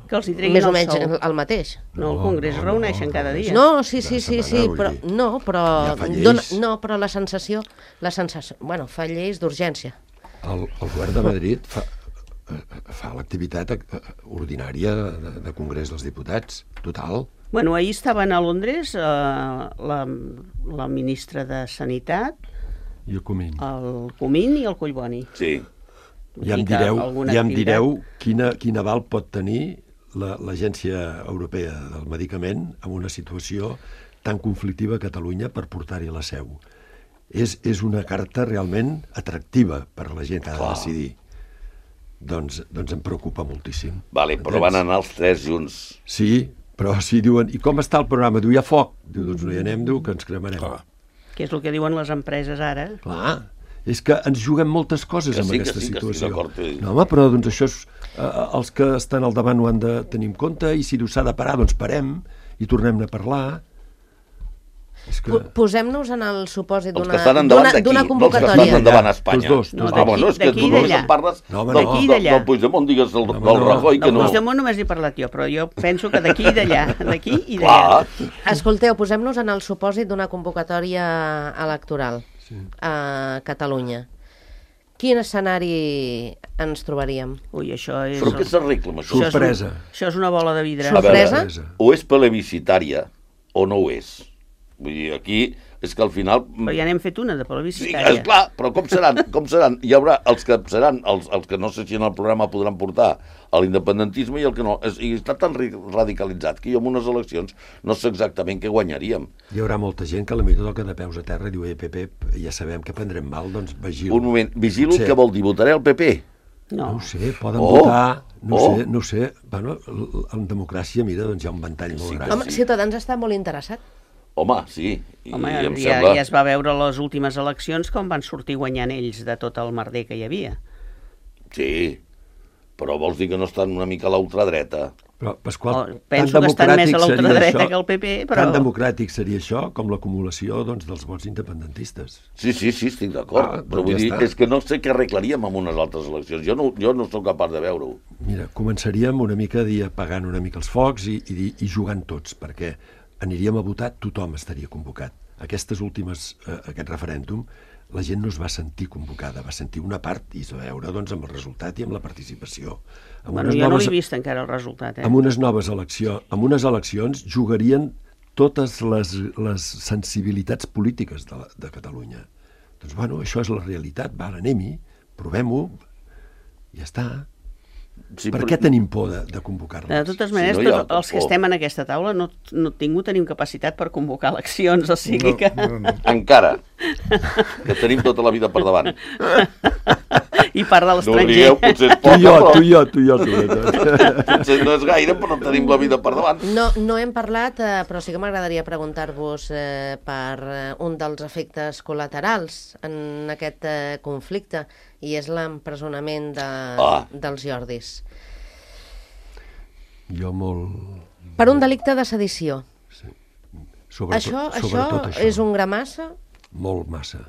Speaker 4: Que els hi treguin
Speaker 2: més o
Speaker 4: el
Speaker 2: menys
Speaker 4: sou.
Speaker 2: el, el mateix.
Speaker 4: No, el
Speaker 3: No,
Speaker 4: Congrés
Speaker 3: no,
Speaker 4: es
Speaker 3: no,
Speaker 4: reuneixen
Speaker 3: no,
Speaker 4: cada
Speaker 3: no.
Speaker 4: dia.
Speaker 2: No, sí, sí,
Speaker 3: Cada
Speaker 2: sí, sí,
Speaker 3: setmana, vull
Speaker 2: però,
Speaker 3: dir.
Speaker 2: no, però,
Speaker 3: Ja fa lleis.
Speaker 2: dona, no, però la sensació, la sensació, bueno, fa lleis d'urgència.
Speaker 3: El, el govern de Madrid fa, eh, fa l'activitat eh, ordinària de, de Congrés dels Diputats, total.
Speaker 4: Bueno, ahir estaven a Londres eh, la, la ministra de Sanitat,
Speaker 3: I el Comín.
Speaker 4: el Comín i el Collboni.
Speaker 5: Sí.
Speaker 3: Ja em
Speaker 4: I que
Speaker 3: direu,
Speaker 4: alguna
Speaker 3: ja em
Speaker 4: activitat-
Speaker 3: direu quina, quin aval pot tenir la- l'Agència Europea del Medicament en una situació tan conflictiva a Catalunya per portar-hi la seu. És, és una carta realment atractiva per a la gent que ha de
Speaker 5: Clar.
Speaker 3: decidir. Doncs, doncs em preocupa moltíssim.
Speaker 5: Vale, però van anar els tres junts.
Speaker 3: Sí, però si diuen, i com està el programa? Diu, hi ha foc. Diu, doncs no hi anem, diu, que ens cremarem.
Speaker 1: Clar.
Speaker 4: Que és el que diuen les empreses ara.
Speaker 3: Clar, és que ens juguem moltes coses
Speaker 5: Que
Speaker 3: amb
Speaker 5: sí, que
Speaker 3: aquesta
Speaker 5: sí, que estic
Speaker 3: situació.
Speaker 5: d'acord, eh.
Speaker 3: No, home, però doncs això és, eh, els que estan al davant ho han de tenir en compte i si s'ha de parar, doncs parem i tornem a parlar. És que...
Speaker 2: Po- Posem-nos en el supòsit
Speaker 5: Els que
Speaker 2: d'una
Speaker 5: estan endavant
Speaker 2: d'una-
Speaker 5: d'aquí,
Speaker 2: d'una
Speaker 5: no els que
Speaker 2: convocatòria.
Speaker 5: estan endavant a Espanya.
Speaker 3: Tots dos,
Speaker 4: No,
Speaker 3: tots
Speaker 5: Ah,
Speaker 3: dos.
Speaker 5: bueno, és que
Speaker 4: d'aquí
Speaker 5: tu
Speaker 4: i
Speaker 5: només
Speaker 4: d'allà.
Speaker 5: em parles
Speaker 3: No, home,
Speaker 5: del,
Speaker 3: no.
Speaker 4: D'aquí i
Speaker 5: del,
Speaker 4: d'allà.
Speaker 5: del Puigdemont, digues del,
Speaker 3: No, home,
Speaker 5: del
Speaker 3: no.
Speaker 5: Rajoy, que
Speaker 4: Del
Speaker 5: no.
Speaker 4: Puigdemont només he parlat jo, però jo penso que d'aquí i d'allà, d'aquí i d'allà.
Speaker 5: Clar,
Speaker 2: Escolteu, posem-nos en el supòsit d'una convocatòria electoral sí. a Catalunya. Quin escenari ens trobaríem?
Speaker 4: Ui, això és...
Speaker 5: però què s'arregla amb això?
Speaker 4: això és un-
Speaker 3: Sorpresa.
Speaker 4: Això és una bola de vidre.
Speaker 5: A veure,
Speaker 2: Sorpresa?
Speaker 5: o és plebiscitària o no ho és. Vull dir, aquí és que al final...
Speaker 4: Però ja n'hem fet una de
Speaker 5: Sí,
Speaker 4: plebiscitària.
Speaker 5: és clar, però com seran? Com seran? Hi haurà els que seran, els, els que no sé si en el programa podran portar a l'independentisme i el que no. És, i està tan ri- radicalitzat que jo en unes eleccions no sé exactament què guanyaríem.
Speaker 3: Hi haurà molta gent que a la millor toca de peus a terra i diu, eh, P P, ja sabem que prendrem mal, doncs vigila.
Speaker 5: Un moment, vigilo,
Speaker 3: Potser.
Speaker 5: què vol dir? Votaré al P P?
Speaker 4: No.
Speaker 3: No ho sé, poden
Speaker 5: Oh!
Speaker 3: votar, no
Speaker 5: Oh!
Speaker 3: ho sé, no ho sé. Bueno, l- en democràcia, mira, doncs hi ha un ventall molt
Speaker 5: Sí,
Speaker 3: gran.
Speaker 2: Home, Ciutadans està molt interessat.
Speaker 5: Home, sí. I
Speaker 4: Home,
Speaker 5: em
Speaker 4: ja,
Speaker 5: sembla...
Speaker 4: ja es va veure a les últimes eleccions com van sortir guanyant ells de tot el merder que hi havia.
Speaker 5: Sí, però vols dir que no estan una mica a la ultradreta?
Speaker 3: Però, Pasqual,
Speaker 4: Oh, penso que estan més a la ultradreta que el P P, però...
Speaker 3: Tan democràtic seria això com l'acumulació doncs, dels vots independentistes.
Speaker 5: Sí, sí, sí, estic d'acord.
Speaker 3: Ah,
Speaker 5: però
Speaker 3: doncs
Speaker 5: vull
Speaker 3: ja
Speaker 5: dir,
Speaker 3: està.
Speaker 5: és que no sé què arreglaríem amb unes altres eleccions. Jo no, jo no sóc capaç de veure-ho.
Speaker 3: Mira, començaríem una mica a dir apagant una mica els focs i, i, i jugant tots, perquè aniríem a votar, tothom estaria convocat. Aquestes últimes, eh, aquest referèndum, la gent no es va sentir convocada, va sentir una part i es va veure doncs, amb el resultat i amb la participació. Amb
Speaker 4: Bueno,
Speaker 3: unes
Speaker 4: jo no
Speaker 3: noves-
Speaker 4: l'he vist encara el resultat, eh?
Speaker 3: amb unes noves eleccions, amb unes eleccions jugarien totes les, les sensibilitats polítiques de, la, de Catalunya. Doncs, bueno, això és la realitat, va, anem-hi, provem-ho, ja està.
Speaker 5: Sí,
Speaker 3: Per
Speaker 5: però-
Speaker 3: què tenim por de, de convocar-les?
Speaker 4: De totes
Speaker 5: Si
Speaker 4: maneres,
Speaker 5: no
Speaker 4: no
Speaker 5: hi ha
Speaker 4: tots els que
Speaker 5: por.
Speaker 4: estem en aquesta taula no, no ningú tenim capacitat per convocar eleccions, o sigui que...
Speaker 1: No, no.
Speaker 5: Encara, que tenim tota la vida per davant.
Speaker 4: I part de
Speaker 5: No
Speaker 4: l'estranger.
Speaker 5: rieu, potser és
Speaker 3: Tu
Speaker 5: poca,
Speaker 3: i jo,
Speaker 5: però
Speaker 3: tu i jo, tu i jo, sobretot.
Speaker 5: potser no és gaire, però tenim la vida per davant.
Speaker 2: No, no hem parlat, eh, però sí que m'agradaria preguntar-vos eh, per eh, un dels efectes col·laterals en aquest eh, conflicte, i és l'empresonament de,
Speaker 5: Ah.
Speaker 2: dels Jordis.
Speaker 3: Jo molt...
Speaker 2: Per un delicte de sedició.
Speaker 3: Sobretot,
Speaker 2: Això, això,
Speaker 3: sobretot això.
Speaker 2: és un gramassa?
Speaker 3: Molt massa.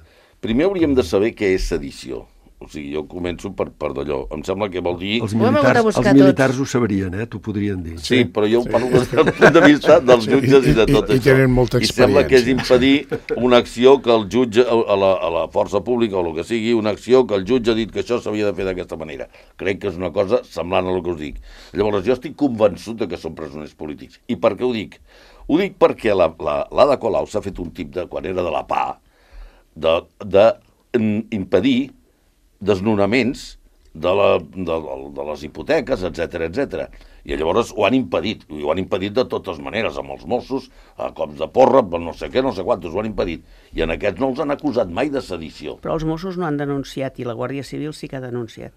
Speaker 5: Primer hauríem de saber què és sedició. O sigui, jo començo per, per d'allò. Em sembla que vol dir...
Speaker 3: Els
Speaker 2: Ho hem hagut de
Speaker 3: militars,
Speaker 2: buscar
Speaker 3: els militars
Speaker 2: tots.
Speaker 3: ho sabrien, eh? T'ho podrien dir.
Speaker 5: Sí, però jo parlo des del punt de vista dels jutges i de
Speaker 1: I- i-
Speaker 5: tot
Speaker 1: i
Speaker 5: això.
Speaker 1: tenen molta
Speaker 5: I sembla que és
Speaker 1: experiència.
Speaker 5: impedir una acció que el jutge, a la, a la força pública o el que sigui, una acció que el jutge ha dit que això s'havia de fer d'aquesta manera. Crec que és una cosa semblant a el que us dic. Llavors, jo estic convençut de que són presoners polítics. I per què ho dic? Ho dic perquè la, la, l'Ada Colau s'ha fet un tip de, quan era de la P A, de, de mm, impedir desnonaments de, la, de, de les hipoteques, etcètera, etcètera. I llavors ho han impedit, i ho han impedit de totes maneres, amb els Mossos, a cops de porra, per no sé què, no sé quantos, ho han impedit. I en aquests no els han acusat mai de sedició.
Speaker 4: Però els Mossos no han denunciat i la Guàrdia Civil sí que ha denunciat.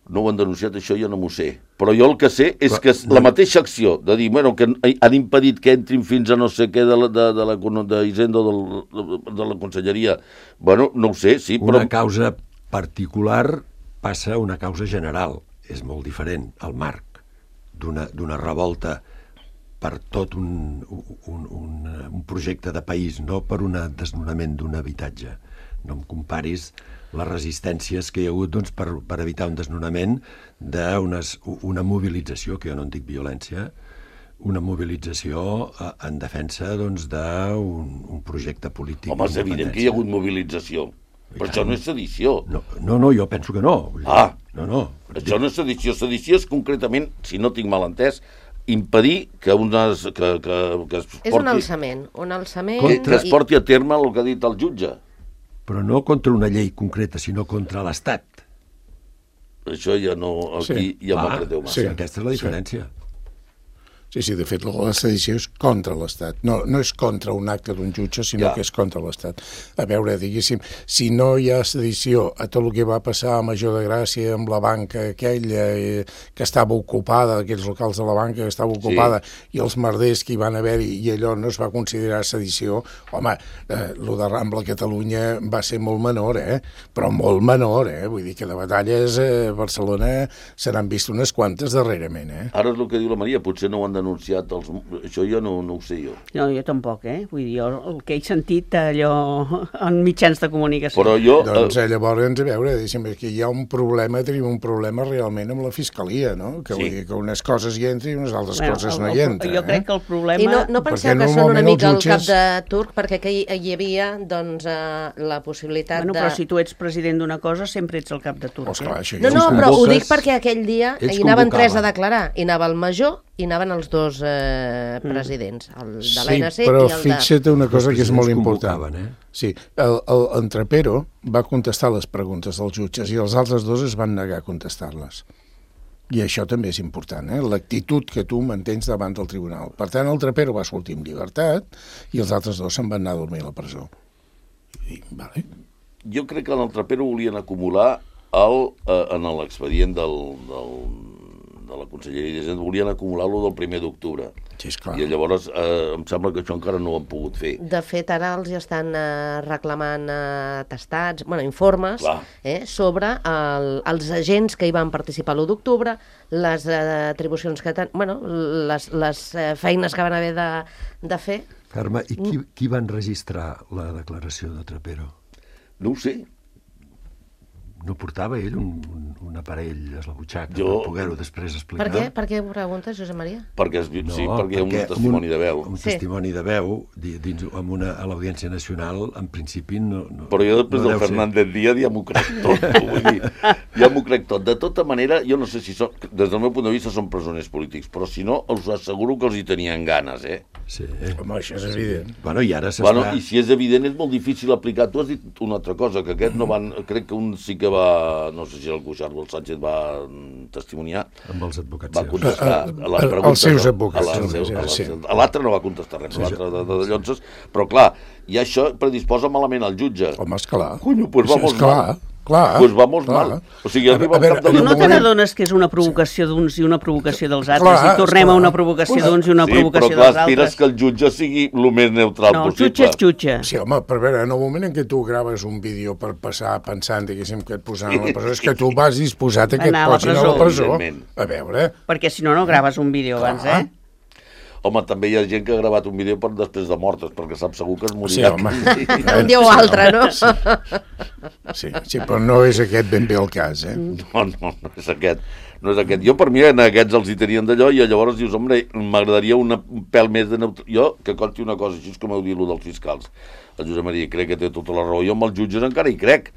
Speaker 5: No ho han denunciat, això jo no m'ho sé. Però jo el que sé és
Speaker 3: Però,
Speaker 5: que
Speaker 3: no.
Speaker 5: la mateixa acció de dir, bueno, que han impedit que entrin fins a no sé què de la, de, de la de Hisenda o de, de la Conselleria, bueno, no ho sé, sí, però...
Speaker 3: Una causa particular passa a una causa general. És molt diferent el marc d'una d'una revolta per tot un, un, un, un projecte de país, no per un desnonament d'un habitatge. No em comparis les resistències que hi ha hagut doncs, per, per evitar un desnonament d'una mobilització, que jo no en dic violència, una mobilització eh, en defensa doncs, d'un un projecte polític.
Speaker 5: Home, és evident que hi ha hagut mobilització. Però això no és sedició.
Speaker 3: No, no, no, jo penso que no. Vull dir,
Speaker 5: Ah.
Speaker 3: No, no.
Speaker 5: Això no és sedició. Sedició és concretament, si no tinc mal entès, impedir que, unes, que, que, que es
Speaker 2: És un
Speaker 5: porti,
Speaker 2: alçament, un alçament...
Speaker 5: que, que es
Speaker 2: i-
Speaker 5: porti a terme el que ha dit el jutge.
Speaker 3: Però no contra una llei concreta, sinó contra l'Estat.
Speaker 5: Això ja no... Aquí
Speaker 1: Sí.
Speaker 5: ja
Speaker 3: Ah,
Speaker 5: m'apreteu massa.
Speaker 3: sí, aquesta és la diferència.
Speaker 1: Sí, sí, de fet, la sedició és contra l'Estat. No, no és contra un acte d'un jutge, sinó
Speaker 5: Ja.
Speaker 1: que és contra l'Estat. A veure, diguéssim, si no hi ha sedició a tot el que va passar a Major de Gràcia amb la banca aquella eh, que estava ocupada, aquells locals de la banca que estava ocupada, i els merders que hi van haver-hi, i allò no es va considerar sedició, home, eh, lo de Rambla Catalunya va ser molt menor, eh? Però molt menor, eh? Vull dir que de batalles a Barcelona se n'han vist unes quantes darrerament, eh?
Speaker 5: Ara és el que diu la Maria, potser no ho han denunciat els... Això jo no, no ho sé jo.
Speaker 4: No, jo tampoc, eh? Vull dir, jo el que he sentit allò en mitjans de comunicació.
Speaker 5: Però jo...
Speaker 1: Doncs
Speaker 5: eh,
Speaker 1: eh, llavors, a veure, deixa'm, que hi ha un problema, tenim un problema realment amb la Fiscalia, no? Que
Speaker 5: Sí.
Speaker 1: vull dir que unes coses hi entren i unes altres
Speaker 4: Bueno,
Speaker 1: coses
Speaker 4: el-
Speaker 1: no
Speaker 4: el-
Speaker 1: hi entren.
Speaker 4: Jo crec
Speaker 1: eh?
Speaker 4: que el problema...
Speaker 2: I no, no
Speaker 1: Perquè
Speaker 2: penseu que són una
Speaker 1: normalment
Speaker 2: mica
Speaker 1: els
Speaker 2: el cap
Speaker 1: jutges-
Speaker 2: de turc, perquè que hi, hi havia doncs, eh, la possibilitat
Speaker 4: Bueno,
Speaker 2: de...
Speaker 4: però si tu ets president d'una cosa, sempre ets el cap de turc.
Speaker 1: Oh, esclar, això
Speaker 2: No,
Speaker 1: ja
Speaker 2: no,
Speaker 1: ho sé.
Speaker 2: però ho
Speaker 3: convoques,
Speaker 2: dic perquè aquell dia
Speaker 3: ells
Speaker 2: hi anaven tres a
Speaker 3: convocaven.
Speaker 2: declarar. Hi anava el major i anaven els dos eh, presidents, el de
Speaker 1: Sí,
Speaker 2: l'A N C
Speaker 1: però
Speaker 2: i el de...
Speaker 1: fixa't una cosa que és
Speaker 3: presidents
Speaker 1: molt important.
Speaker 3: convocaven, eh?
Speaker 1: Sí, el, el, en Trapero va contestar les preguntes dels jutges i els altres dos es van negar a contestar-les. I això també és important, eh? L'actitud que tu mantens davant del tribunal. Per tant, el Trapero va sortir en llibertat i els altres dos se'n van anar a dormir a la presó. I, vale.
Speaker 5: jo crec que en el Trapero volien acumular el, eh, en l'expedient del, del, de la Conselleria d'Hisenda volien acumular-lo del primer d'octubre.
Speaker 1: Sí, esclar.
Speaker 5: I llavors eh, em sembla que això encara no ho han pogut fer.
Speaker 2: De fet, ara els estan eh, reclamant eh, atestats, bueno, informes eh, sobre el, els agents que hi van participar l'u d'octubre, les eh, atribucions que ten... bueno, les, les eh, feines que van haver de, de fer.
Speaker 3: Carme, i qui, qui va enregistrar la declaració de Trapero?
Speaker 5: No ho sé.
Speaker 3: No portava ell un, un, un aparell a la butxaca
Speaker 5: Jo...
Speaker 3: per poder-ho després explicar?
Speaker 2: Per què? Per què ho preguntes, Josep Maria?
Speaker 5: Perquè, es,
Speaker 3: No,
Speaker 5: sí, perquè hi ha un
Speaker 3: perquè
Speaker 5: testimoni
Speaker 3: un,
Speaker 5: de veu.
Speaker 3: Un
Speaker 2: Sí.
Speaker 3: testimoni de veu di- dins, amb una, a l'Audiència Nacional, en principi no... no
Speaker 5: Però jo després
Speaker 3: no
Speaker 5: del
Speaker 3: deu ser.
Speaker 5: Fernández Díaz ja m'ho crec tot. Vull dir, ja m'ho crec tot. De tota manera, jo no sé si són, des del meu punt de vista són presoners polítics, però si no, us asseguro que els hi tenien ganes, eh?
Speaker 3: Sí.
Speaker 1: Home, això és evident.
Speaker 3: Bueno, i ara s'està...
Speaker 5: Bueno, i si és evident, és molt difícil aplicar. Tu has dit una altra cosa, que aquest no van... Crec que un sí que va... No sé si el Cuixart o el Sánchez va testimoniar.
Speaker 3: Amb els advocats
Speaker 5: Va
Speaker 3: seus.
Speaker 5: contestar a les
Speaker 1: Els
Speaker 5: preguntes.
Speaker 1: seus
Speaker 5: no?
Speaker 1: advocats,
Speaker 5: A la-
Speaker 1: sí,
Speaker 5: a la-
Speaker 1: sí.
Speaker 5: a l'altre no va contestar res, l'altre de, de, de Llonses, però clar, i això predisposa malament al jutge.
Speaker 1: Home, esclar.
Speaker 5: Conyo, pues vamos
Speaker 1: esclar,
Speaker 5: mal.
Speaker 1: clar.
Speaker 5: Pues vamos
Speaker 1: clar.
Speaker 5: mal. O sigui, arriba al cap de
Speaker 4: Però no te
Speaker 1: moment-
Speaker 4: n'adones que és una provocació d'uns i una provocació dels altres,
Speaker 1: Clar,
Speaker 4: i tornem
Speaker 1: esclar.
Speaker 4: a una provocació d'uns i una
Speaker 5: sí,
Speaker 4: provocació
Speaker 5: però clar,
Speaker 4: dels
Speaker 5: aspires
Speaker 4: altres?
Speaker 5: que el jutge sigui el més neutral
Speaker 4: No, el
Speaker 5: possible.
Speaker 4: jutge és jutge.
Speaker 1: Sí, home, però a veure, en el moment en què tu graves un vídeo per passar pensant, diguéssim, que et posaran a la presó, és que tu vas disposat a que et
Speaker 4: Anar a la
Speaker 1: posin a la
Speaker 4: presó.
Speaker 1: presó.
Speaker 5: Evidentment.
Speaker 1: A veure,
Speaker 4: Perquè si no, no graves un vídeo abans,
Speaker 1: Clar.
Speaker 4: eh?
Speaker 5: Home, també hi ha gent que ha gravat un vídeo per després de mortes, perquè sap segur que es
Speaker 1: sí,
Speaker 5: morirà.
Speaker 1: home.
Speaker 2: Un dia o altre, no?
Speaker 1: Sí, sí, però no és aquest ben bé el cas, eh?
Speaker 5: No, no, no és aquest. No és aquest. Jo, per mi, en aquests els hi tenien d'allò, i llavors dius, home, m'agradaria una, un pèl més de neutral. Jo, que conti una cosa, així és com heu dit, lo dels fiscals. El Josep Maria crec que té tota la raó. Jo amb els jutges encara hi crec.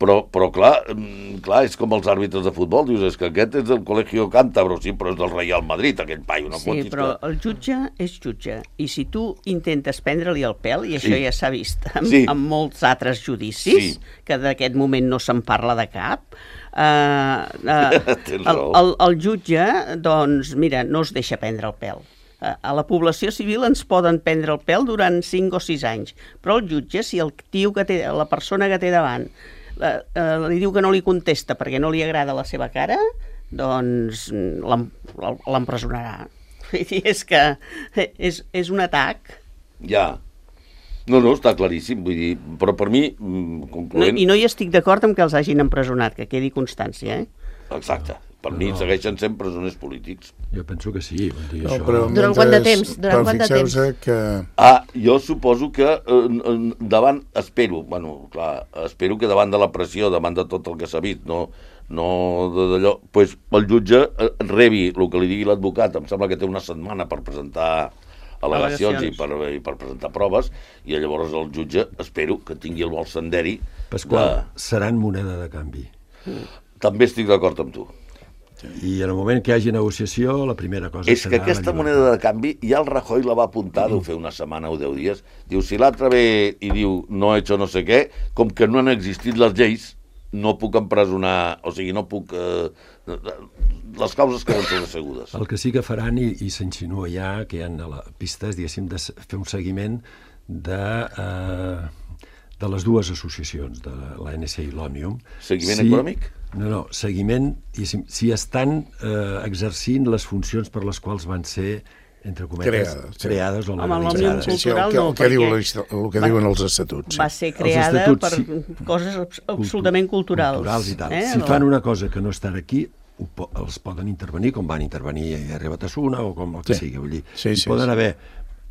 Speaker 5: Però, però clar, mm, clar, és com els àrbitres de futbol. Dius, és que aquest és del Colegio Cántabro, sí, però és del Real Madrid, aquell paio. No
Speaker 4: Sí,
Speaker 5: fotis
Speaker 4: però
Speaker 5: que...
Speaker 4: el jutge és jutge, i si tu intentes prendre-li el pèl, i això
Speaker 5: Sí.
Speaker 4: ja s'ha vist en,
Speaker 5: Sí.
Speaker 4: en molts altres judicis,
Speaker 5: Sí.
Speaker 4: que d'aquest moment no se'n parla de cap, eh, eh,
Speaker 5: Tens
Speaker 4: el,
Speaker 5: raó.
Speaker 4: el, el jutge, doncs, mira, no es deixa prendre el pèl. Eh, A la població civil ens poden prendre el pèl durant cinc o sis anys, però el jutge, si el tio que té, la persona que té davant, eh, eh, li diu que no li contesta perquè no li agrada la seva cara, doncs l'em- l'empresonarà. Vull dir, és que és, és un atac.
Speaker 5: Ja. No, no, està claríssim, vull dir, però per mi, mm,
Speaker 4: No,
Speaker 5: concloent...
Speaker 4: I no hi estic d'acord amb que els hagin empresonat, que quedi constància, eh?
Speaker 5: Exacte. Per mi
Speaker 3: No.
Speaker 5: segueixen sent presoners polítics.
Speaker 3: Jo penso que sí. Vull dir,
Speaker 1: No,
Speaker 3: això...
Speaker 1: però
Speaker 2: Durant quant de
Speaker 1: mentre-
Speaker 2: temps? Durant
Speaker 1: però
Speaker 2: quant de
Speaker 1: fixeu-se que...
Speaker 5: Ah, jo suposo que eh, eh, davant, espero, bueno, clar, espero que davant de la pressió, davant de tot el que s'ha vist, no, no de- d'allò, pues, el jutge eh, rebi el que li digui l'advocat, em sembla que té una setmana per presentar al·legacions i per, i per presentar proves, i llavors el jutge, espero que tingui el vol senderi.
Speaker 3: Pasqual, seran moneda de canvi.
Speaker 5: De... També estic d'acord amb tu.
Speaker 3: I en el moment que hi hagi negociació, la primera cosa
Speaker 5: És
Speaker 3: serà...
Speaker 5: que aquesta
Speaker 3: la
Speaker 5: moneda de canvi, ja el Rajoy la va apuntar, deu fer una setmana o deu dies, diu, si l'altre ve i diu no he hecho no sé què, com que no han existit les lleis, no puc empresonar, o sigui, no puc... Eh, les causes queden sobresegudes.
Speaker 3: El que sí que faran, i, i s'insinua ja, que hi ha a la pistes, diguéssim, de s- fer un seguiment de, eh, de les dues associacions, de l'A N C i l'Òmnium.
Speaker 5: Seguiment econòmic?
Speaker 3: No, no, seguiment, diguéssim, si estan eh, exercint les funcions per les quals van ser, entre cometes,
Speaker 1: Creades, sí.
Speaker 3: creades o
Speaker 4: Home, l'Òmnium
Speaker 3: legalitzades.
Speaker 1: Sí, sí, el
Speaker 4: cultural
Speaker 1: que,
Speaker 4: no,
Speaker 1: el que, diu,
Speaker 4: perquè
Speaker 1: la histò- el que
Speaker 4: va-
Speaker 1: diuen els estatuts.
Speaker 4: Va
Speaker 1: Sí.
Speaker 4: ser creada
Speaker 3: estatuts,
Speaker 4: per
Speaker 3: sí.
Speaker 4: coses abs- absolutament culturals.
Speaker 3: Culturals i tal.
Speaker 4: Eh?
Speaker 3: Si fan una cosa que no està aquí, ho po els poden intervenir, com van intervenir a Rebatasuna o com el que
Speaker 1: Sí.
Speaker 3: sigui. Vull dir,
Speaker 1: Sí,
Speaker 3: hi
Speaker 1: sí,
Speaker 3: poden
Speaker 1: sí.
Speaker 3: haver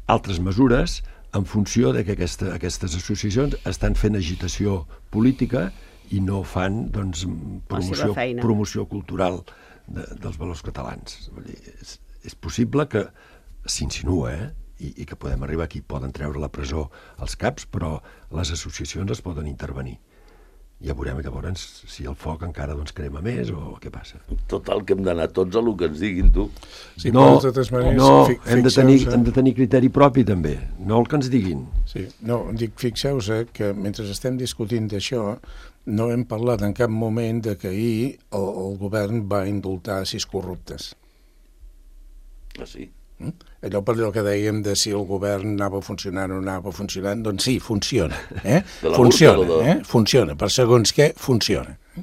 Speaker 3: altres mesures en funció de que aquesta, aquestes associacions estan fent agitació política i no fan doncs, promoció,
Speaker 4: feina.
Speaker 3: promoció cultural de, dels valors catalans. Vull dir, és, és possible que s'insinua, eh? I, i que podem arribar aquí. Poden treure a la presó els caps, però les associacions es poden intervenir. Ja veurem llavors si el foc encara doncs, crema més o què passa.
Speaker 5: Total, que hem d'anar tots a el que ens diguin, tu.
Speaker 1: Sí,
Speaker 3: no,
Speaker 1: però de totes maneres,
Speaker 3: no
Speaker 1: fi-
Speaker 3: hem, de tenir,
Speaker 1: fixeu-se-
Speaker 3: hem de tenir criteri propi també, no el que ens diguin.
Speaker 1: Sí, no, dic, fixeu-se que mentre estem discutint d'això, no hem parlat en cap moment de que ahir el, el govern va indultar sis corruptes.
Speaker 5: Ah, sí?
Speaker 1: Mm? Allò per allò que dèiem de si el govern anava funcionant o no anava funcionant, doncs sí, funciona. Eh?
Speaker 5: De la
Speaker 1: Funciona,
Speaker 5: burca o de-
Speaker 1: eh? Funciona. Per segons què, funciona. Eh?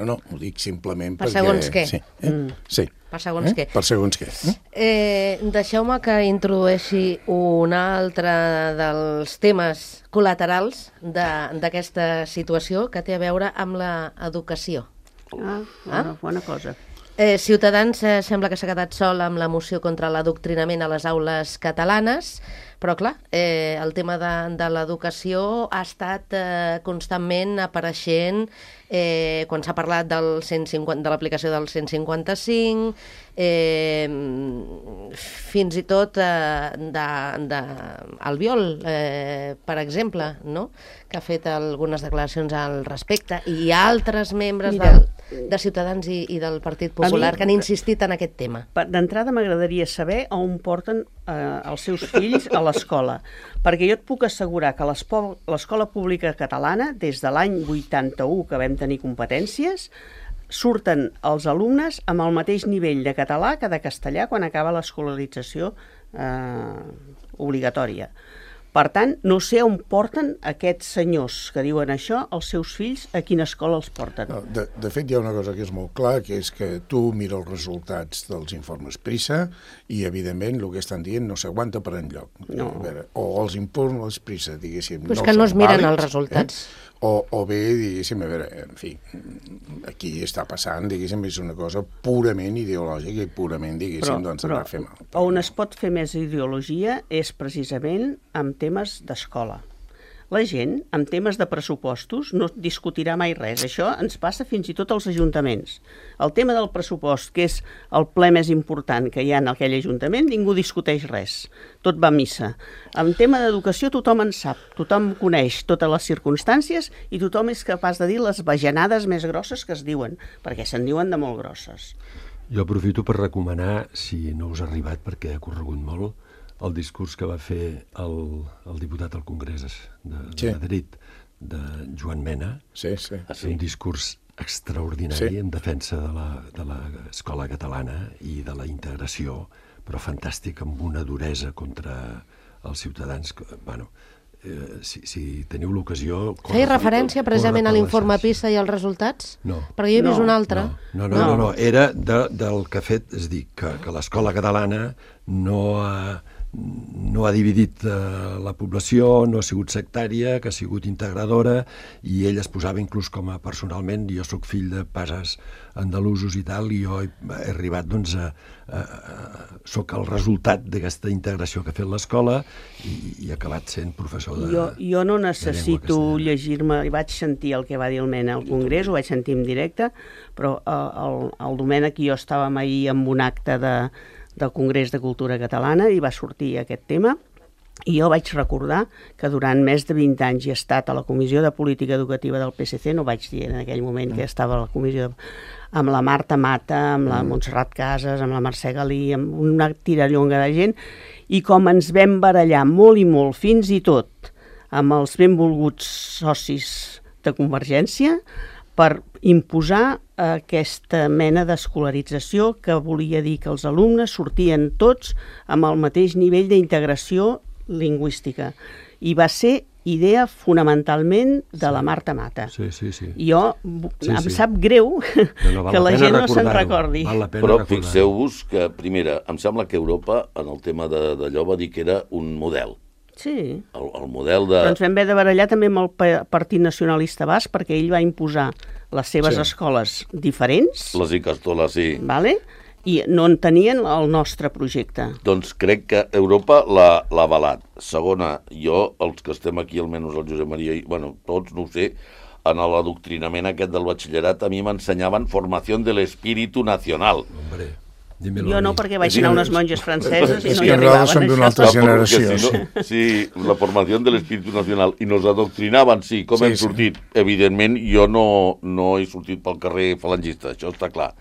Speaker 1: No, no, ho dic simplement
Speaker 2: per
Speaker 1: perquè...
Speaker 2: segons què.
Speaker 1: Sí, eh? mm. sí.
Speaker 2: Per segons
Speaker 1: eh?
Speaker 2: què.
Speaker 1: Per segons què. Eh?
Speaker 2: Eh, Deixeu-me que introdueixi un altre dels temes col·laterals d'aquesta situació que té a veure amb l'educació.
Speaker 4: Ah, bona, bona cosa.
Speaker 2: Eh, Ciutadans eh, sembla que s'ha quedat sol amb la moció contra l'adoctrinament a les aules catalanes, però clar, eh, el tema de, de l'educació ha estat eh, constantment apareixent eh, quan s'ha parlat del cent cinquanta, de l'aplicació del cent cinquanta-cinc, eh, fins i tot eh, de, de Albiol, eh, per exemple, no? Que ha fet algunes declaracions al respecte, i altres membres del, de Ciutadans i, i del Partit Popular mi, que han insistit en aquest tema.
Speaker 4: D'entrada m'agradaria saber on porten eh, els seus fills a l'escola, perquè jo et puc assegurar que l'escola pública catalana, des de l'any vuitanta-u que vam tenir competències, surten els alumnes amb el mateix nivell de català que de castellà quan acaba l'escolarització eh, obligatòria. Per tant, no sé on porten aquests senyors que diuen això, els seus fills, a quina escola els porten.
Speaker 1: No, de, de fet, hi ha una cosa que és molt clar, que és que tu mires els resultats dels informes PISA i, evidentment, el que estan dient no s'aguanta per enlloc.
Speaker 4: No.
Speaker 1: A veure, o els informes PISA, diguéssim,
Speaker 2: Però és
Speaker 1: no
Speaker 2: que no es miren
Speaker 1: vàlids,
Speaker 2: els resultats.
Speaker 1: Eh? O, o bé, diguéssim, a veure, en fi, aquí està passant, diguéssim, és una cosa purament ideològica i purament, diguéssim, però, doncs, anar a fer mal.
Speaker 4: On es pot fer més ideologia és precisament amb temes d'escola. La gent, amb temes de pressupostos, no discutirà mai res. Això ens passa fins i tot als ajuntaments. El tema del pressupost, que és el ple més important que hi ha en aquell ajuntament, ningú discuteix res. Tot va a missa. En tema d'educació tothom en sap, tothom coneix totes les circumstàncies i tothom és capaç de dir les bajanades més grosses que es diuen, perquè se'n diuen de molt grosses.
Speaker 3: Jo aprofito per recomanar, si no us ha arribat perquè ha corregut molt, el discurs que va fer el, el diputat al Congrés de, de sí. Madrid, de Joan Mena.
Speaker 1: Sí, sí.
Speaker 3: Ah, sí. Un discurs extraordinari sí. en defensa de l'escola catalana i de la integració, però fantàstic, amb una duresa contra els ciutadans. Bueno, eh, si, si teniu l'ocasió...
Speaker 2: Feia referència precisament a l'informe PISA i als resultats?
Speaker 3: No.
Speaker 2: Perquè jo he vist
Speaker 3: no,
Speaker 2: un altre.
Speaker 3: No, no, no, no, no. Era de, del que ha fet, és dir, que, que l'escola catalana no ha... no ha dividit eh, la població, no ha sigut sectària, que ha sigut integradora, i ell es posava inclús com a personalment, jo sóc fill de pares andalusos i tal, i jo he, he arribat, doncs, a, a, a, soc el resultat d'aquesta integració que ha fet l'escola i, i he acabat sent professor de
Speaker 4: Jo, jo no necessito llegir-me, vaig sentir el que va dir el Mena al Congrés, ho vaig sentir en directe, però el, el Domènec i jo estàvem ahir en un acte de del Congrés de Cultura Catalana i va sortir aquest tema i jo vaig recordar que durant més de vint anys he estat a la Comissió de Política Educativa del P S C, no vaig dir en aquell moment que estava a la comissió de... amb la Marta Mata, amb la Montserrat Casas, amb la Mercè Galí, amb una tirallonga de gent, i com ens vam barallar molt i molt, fins i tot amb els benvolguts socis de Convergència, per imposar aquesta mena d'escolarització que volia dir que els alumnes sortien tots amb el mateix nivell d'integració lingüística. I va ser idea fonamentalment de sí. la Marta Mata.
Speaker 3: Sí, sí, sí.
Speaker 4: I jo sí, em sí. sap greu no, no, que la gent no se'n recordi.
Speaker 3: Val
Speaker 5: Però fixeu-vos que, primera, em sembla que Europa, en el tema d'allò, va dir que era un model.
Speaker 4: Sí,
Speaker 5: el, el model de...
Speaker 4: però ens vam haver de barallar també amb el Partit Nacionalista Basc perquè ell va imposar les seves sí. escoles diferents.
Speaker 5: Les Icastoles, sí.
Speaker 4: Vale? I no en tenien el nostre projecte.
Speaker 5: Doncs crec que Europa l'ha avalat. Segona, jo, els que estem aquí, almenys el Josep Maria, i, bueno, tots, no ho sé, en l'adoctrinament aquest del batxillerat a mi m'ensenyaven formació de l'espíritu nacional.
Speaker 3: Hombre...
Speaker 4: Jo no, perquè vaig anar a unes monges franceses i no hi
Speaker 1: arribaven. És que nosaltres som d'una altra
Speaker 5: Ah,
Speaker 1: generació.
Speaker 5: si no, sí, la formació de l'espíritu nacional. I nos adoctrinaven, sí, com
Speaker 1: sí,
Speaker 5: hem sortit. Sí. Evidentment, jo no, no he sortit pel carrer falangista, això està clar.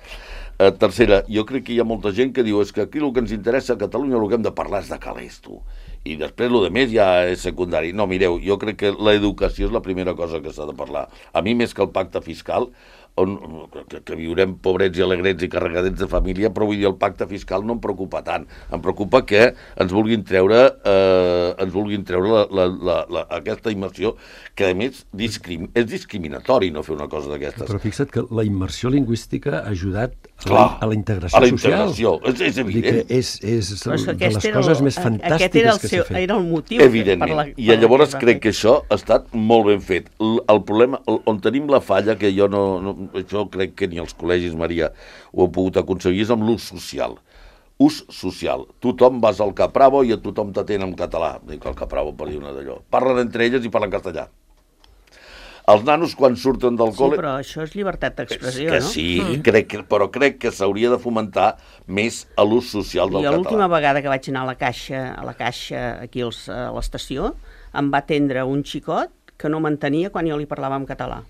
Speaker 5: Eh, tercera, jo crec que hi ha molta gent que diu és que aquí el que ens interessa a Catalunya, el que hem de parlar és de calés, tu. I després el de més ja és secundari. No, mireu, jo crec que l'educació és la primera cosa que s'ha de parlar. A mi, més que el pacte fiscal, on, que, que viurem pobrets i alegrets i carregadets de família, però vull dir, el pacte fiscal no em preocupa tant. Em preocupa que ens vulguin treure, eh, ens vulguin treure la, la, la, la, aquesta immersió, que a més discrim, és discriminatori no fer una cosa d'aquestes.
Speaker 3: Però fixa't que la immersió lingüística ha ajudat a
Speaker 5: Clar,
Speaker 3: la, a la integració
Speaker 5: a la
Speaker 3: social.
Speaker 5: integració, és, és evident.
Speaker 3: És, és
Speaker 4: Però és que
Speaker 3: de les
Speaker 4: aquest era
Speaker 3: coses
Speaker 4: el-
Speaker 3: més fantàstiques
Speaker 4: aquest era el
Speaker 3: que
Speaker 4: seu-
Speaker 3: s'ha fet.
Speaker 4: era el motiu per
Speaker 5: Evidentment.
Speaker 4: la-
Speaker 5: I
Speaker 4: per la
Speaker 5: llavors
Speaker 4: que es va
Speaker 5: crec
Speaker 4: fer.
Speaker 5: que això ha estat molt ben fet. El, el problema, el, on tenim la falla, que jo no, no... Això crec que ni els col·legis, Maria, ho han pogut aconseguir, és amb l'ús social. Ús social. Tothom vas al Capravo i a tothom t'atén en català. Dic el Capravo per dir una d'allò. Parlen entre elles i parlen castellà. Els nanos, quan surten del
Speaker 4: Sí,
Speaker 5: col·le...
Speaker 4: però això és llibertat d'expressió,
Speaker 5: que
Speaker 4: no?
Speaker 5: sí, mm. crec que, però crec que s'hauria de fomentar més a l'ús social del
Speaker 4: Jo l'última
Speaker 5: català.
Speaker 4: vegada que vaig anar a la caixa, a la caixa aquí als, a l'estació, em va atendre un xicot que no m'entenia quan jo li parlava en català.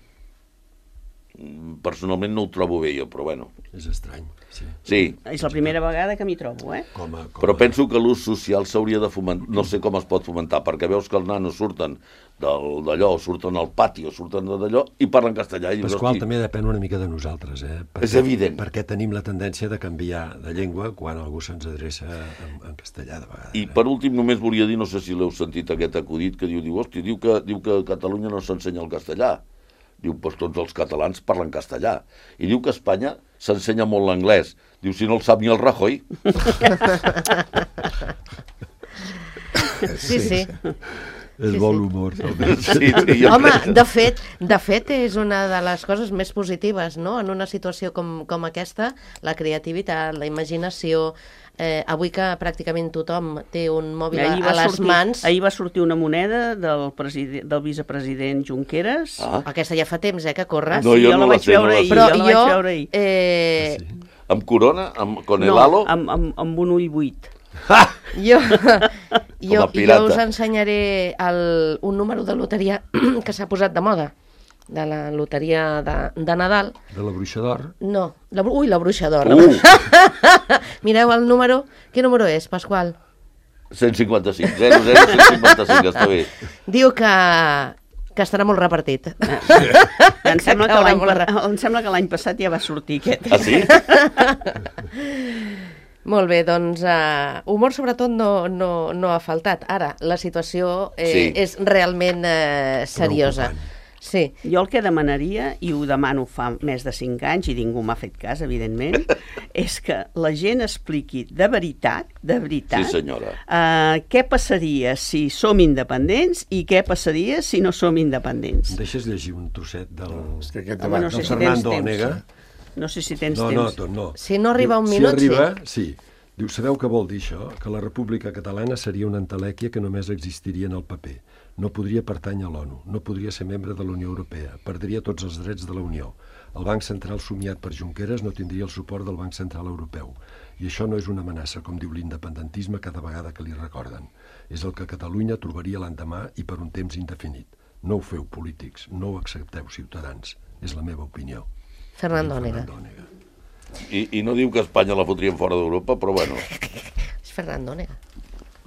Speaker 5: Personalment no ho trobo bé jo, però bueno.
Speaker 3: És estrany, sí.
Speaker 5: Sí,
Speaker 4: És la primera vegada que m'hi trobo, eh?
Speaker 3: Com a, com
Speaker 5: però
Speaker 3: a...
Speaker 5: penso que l'ús social s'hauria de fomentar, no sé com es pot fomentar, perquè veus que els nanos surten del- d'allò, surten al pati o surten d'allò i parlen castellà. I dius,
Speaker 3: Pasqual,
Speaker 5: hosti,
Speaker 3: també depèn una mica de nosaltres, eh? Perquè,
Speaker 5: És evident.
Speaker 3: Perquè tenim la tendència de canviar de llengua quan algú se'ns adreça en, en castellà de vegades.
Speaker 5: I
Speaker 3: eh?
Speaker 5: per últim només volia dir, no sé si l'heu sentit aquest acudit, que diu, diu, hosti, diu que, diu que a Catalunya no s'ensenya el castellà. Diu, doncs tots els catalans parlen castellà. I diu que a Espanya s'ensenya molt l'anglès. Diu, si no el sap ni el Rajoy.
Speaker 2: Sí, sí.
Speaker 3: És
Speaker 2: sí,
Speaker 3: molt
Speaker 2: sí.
Speaker 3: humor. almenys.
Speaker 5: Sí, sí, jo
Speaker 2: Home,
Speaker 5: crec.
Speaker 2: de fet, de fet és una de les coses més positives, no? En una situació com, com aquesta, la creativitat, la imaginació, eh, avui que pràcticament tothom té un mòbil a,
Speaker 4: Ahir
Speaker 2: a
Speaker 4: va,
Speaker 2: les
Speaker 4: sortir,
Speaker 2: mans,
Speaker 4: ahir va sortir una moneda del, preside, del vicepresident Junqueras.
Speaker 5: Ah,
Speaker 2: aquesta ja fa temps, eh, que corres,
Speaker 5: No, jo
Speaker 4: jo
Speaker 5: no
Speaker 4: la
Speaker 5: la
Speaker 4: vaig
Speaker 5: sé, no
Speaker 4: veure
Speaker 5: la
Speaker 4: ahir,
Speaker 5: sé.
Speaker 2: però
Speaker 4: jo la vaig
Speaker 2: jo,
Speaker 4: veure ahir.
Speaker 2: eh,
Speaker 3: Sí.
Speaker 5: amb corona, amb, con el
Speaker 4: No,
Speaker 5: halo.
Speaker 4: amb, amb, amb un ull buit.
Speaker 2: jo, jo,
Speaker 5: a pirata.
Speaker 2: jo us ensenyaré el, un número de loteria que s'ha posat de moda, de la loteria de, de Nadal.
Speaker 3: De la bruixa d'or.
Speaker 2: No, la, bru- ui, la bruixa d'or.
Speaker 5: Uh,
Speaker 2: Mireu el número. Quin número és, Pasqual?
Speaker 5: cent cinquanta-cinc, zero zero cent cinquanta-cinc, està bé.
Speaker 2: Diu que, que estarà molt repartit.
Speaker 4: Em sembla que
Speaker 2: caurà
Speaker 4: l'any
Speaker 2: molt
Speaker 4: pa-
Speaker 2: ra-
Speaker 4: em sembla que l'any passat ja va sortir aquest.
Speaker 5: Ah, sí?
Speaker 2: Molt bé, doncs uh, humor sobretot no, no, no ha faltat. Ara, la situació eh,
Speaker 5: Sí.
Speaker 2: és realment eh, seriosa.
Speaker 3: Preocupant.
Speaker 2: Sí.
Speaker 4: Jo el que demanaria, i ho demano fa més de cinc anys, i ningú m'ha fet cas, evidentment, és que la gent expliqui de veritat, de veritat,
Speaker 5: Sí, senyora.
Speaker 4: eh, què passaria si som independents i què passaria si no som
Speaker 3: Em
Speaker 4: independents.
Speaker 3: deixes llegir un trosset del...
Speaker 1: És que aquest
Speaker 4: Home,
Speaker 1: debat...
Speaker 4: no sé
Speaker 1: no
Speaker 4: si
Speaker 1: s'ha-
Speaker 4: tens
Speaker 3: Fernando
Speaker 4: temps.
Speaker 3: Onega.
Speaker 4: No sé si tens
Speaker 3: No, no,
Speaker 4: temps.
Speaker 3: tot no.
Speaker 2: Si no arriba un
Speaker 3: Diu,
Speaker 2: minut,
Speaker 3: si arriba,
Speaker 2: sí.
Speaker 3: sí. Diu, sabeu què vol dir això? Que la República Catalana seria una entelèquia que només existiria en el paper. No podria pertànyer a l'ONU, no podria ser membre de la Unió Europea, perdria tots els drets de la Unió. El Banc Central somiat per Junqueras no tindria el suport del Banc Central Europeu. I això no és una amenaça, com diu l'independentisme cada vegada que li recorden. És el que Catalunya trobaria l'endemà i per un temps indefinit. No ho feu, polítics, no ho accepteu, ciutadans. És la meva opinió.
Speaker 2: Fernando Onega.
Speaker 3: Fernando Onega.
Speaker 5: I, I no diu que Espanya la fotrien fora d'Europa, però bueno.
Speaker 2: És Fernando Onega.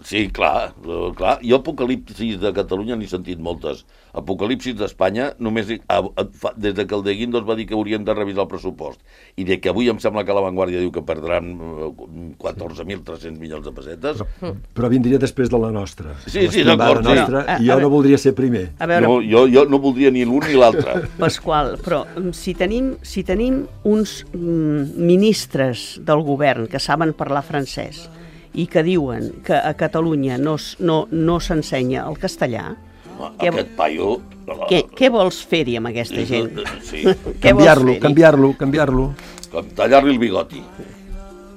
Speaker 5: Sí, clar, eh, clar. Jo apocalipsis de Catalunya n'he sentit moltes. Apocalipsis d'Espanya, només hi- a, a, fa, des de que el de Guindos va dir que haurien de revisar el pressupost i de que avui em sembla que la Vanguardia diu que perdran eh, catorze mil tres-cents milions de pessetes.
Speaker 3: Però, però vindria després de la nostra.
Speaker 5: Sí, sí,
Speaker 3: L'estimada
Speaker 5: d'acord, sí.
Speaker 3: nostra,
Speaker 4: No, a-
Speaker 3: I jo
Speaker 4: a
Speaker 3: no
Speaker 4: veure-
Speaker 3: voldria ser primer.
Speaker 4: A veure,
Speaker 5: No, jo, jo no voldria ni l'un ni l'altre.
Speaker 4: Pasqual, però mm, si tenim, si tenim uns mm, ministres del govern que saben parlar francès i que diuen que a Catalunya no, s- no, no s'ensenya el castellà, Què-
Speaker 5: Aquest paio...
Speaker 4: què, què vols fer-hi amb aquesta gent?
Speaker 5: Sí,
Speaker 4: Què vols
Speaker 3: Canviar-lo,
Speaker 4: fer-hi?
Speaker 3: canviar-lo, canviar-lo.
Speaker 5: com tallar-li el bigoti.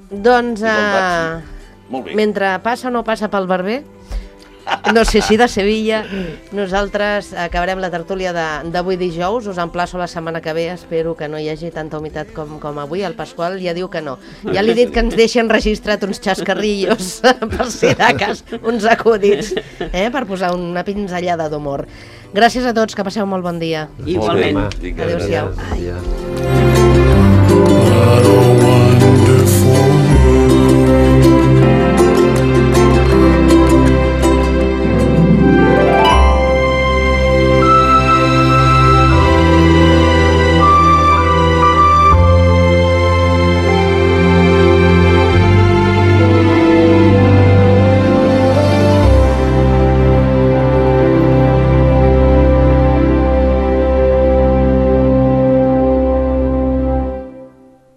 Speaker 2: Doncs,
Speaker 5: I com
Speaker 2: uh,
Speaker 5: Molt bé.
Speaker 2: mentre passa o no passa pel barber, no sé si de Sevilla, nosaltres acabarem la tertúlia de- d'avui dijous, us emplaço la setmana que ve, espero que no hi hagi tanta humitat com, com avui, el Pasqual ja diu que no. Ja li he dit que ens deixen registrat uns xascarrillos, per si de cas, uns acudits, eh, per posar una pinzellada d'humor. Gràcies a tots, que passeu molt bon dia.
Speaker 4: Igualment.
Speaker 5: Molt bé. Vinga,
Speaker 2: Adéu-siau.
Speaker 3: Bon dia.
Speaker 1: I don't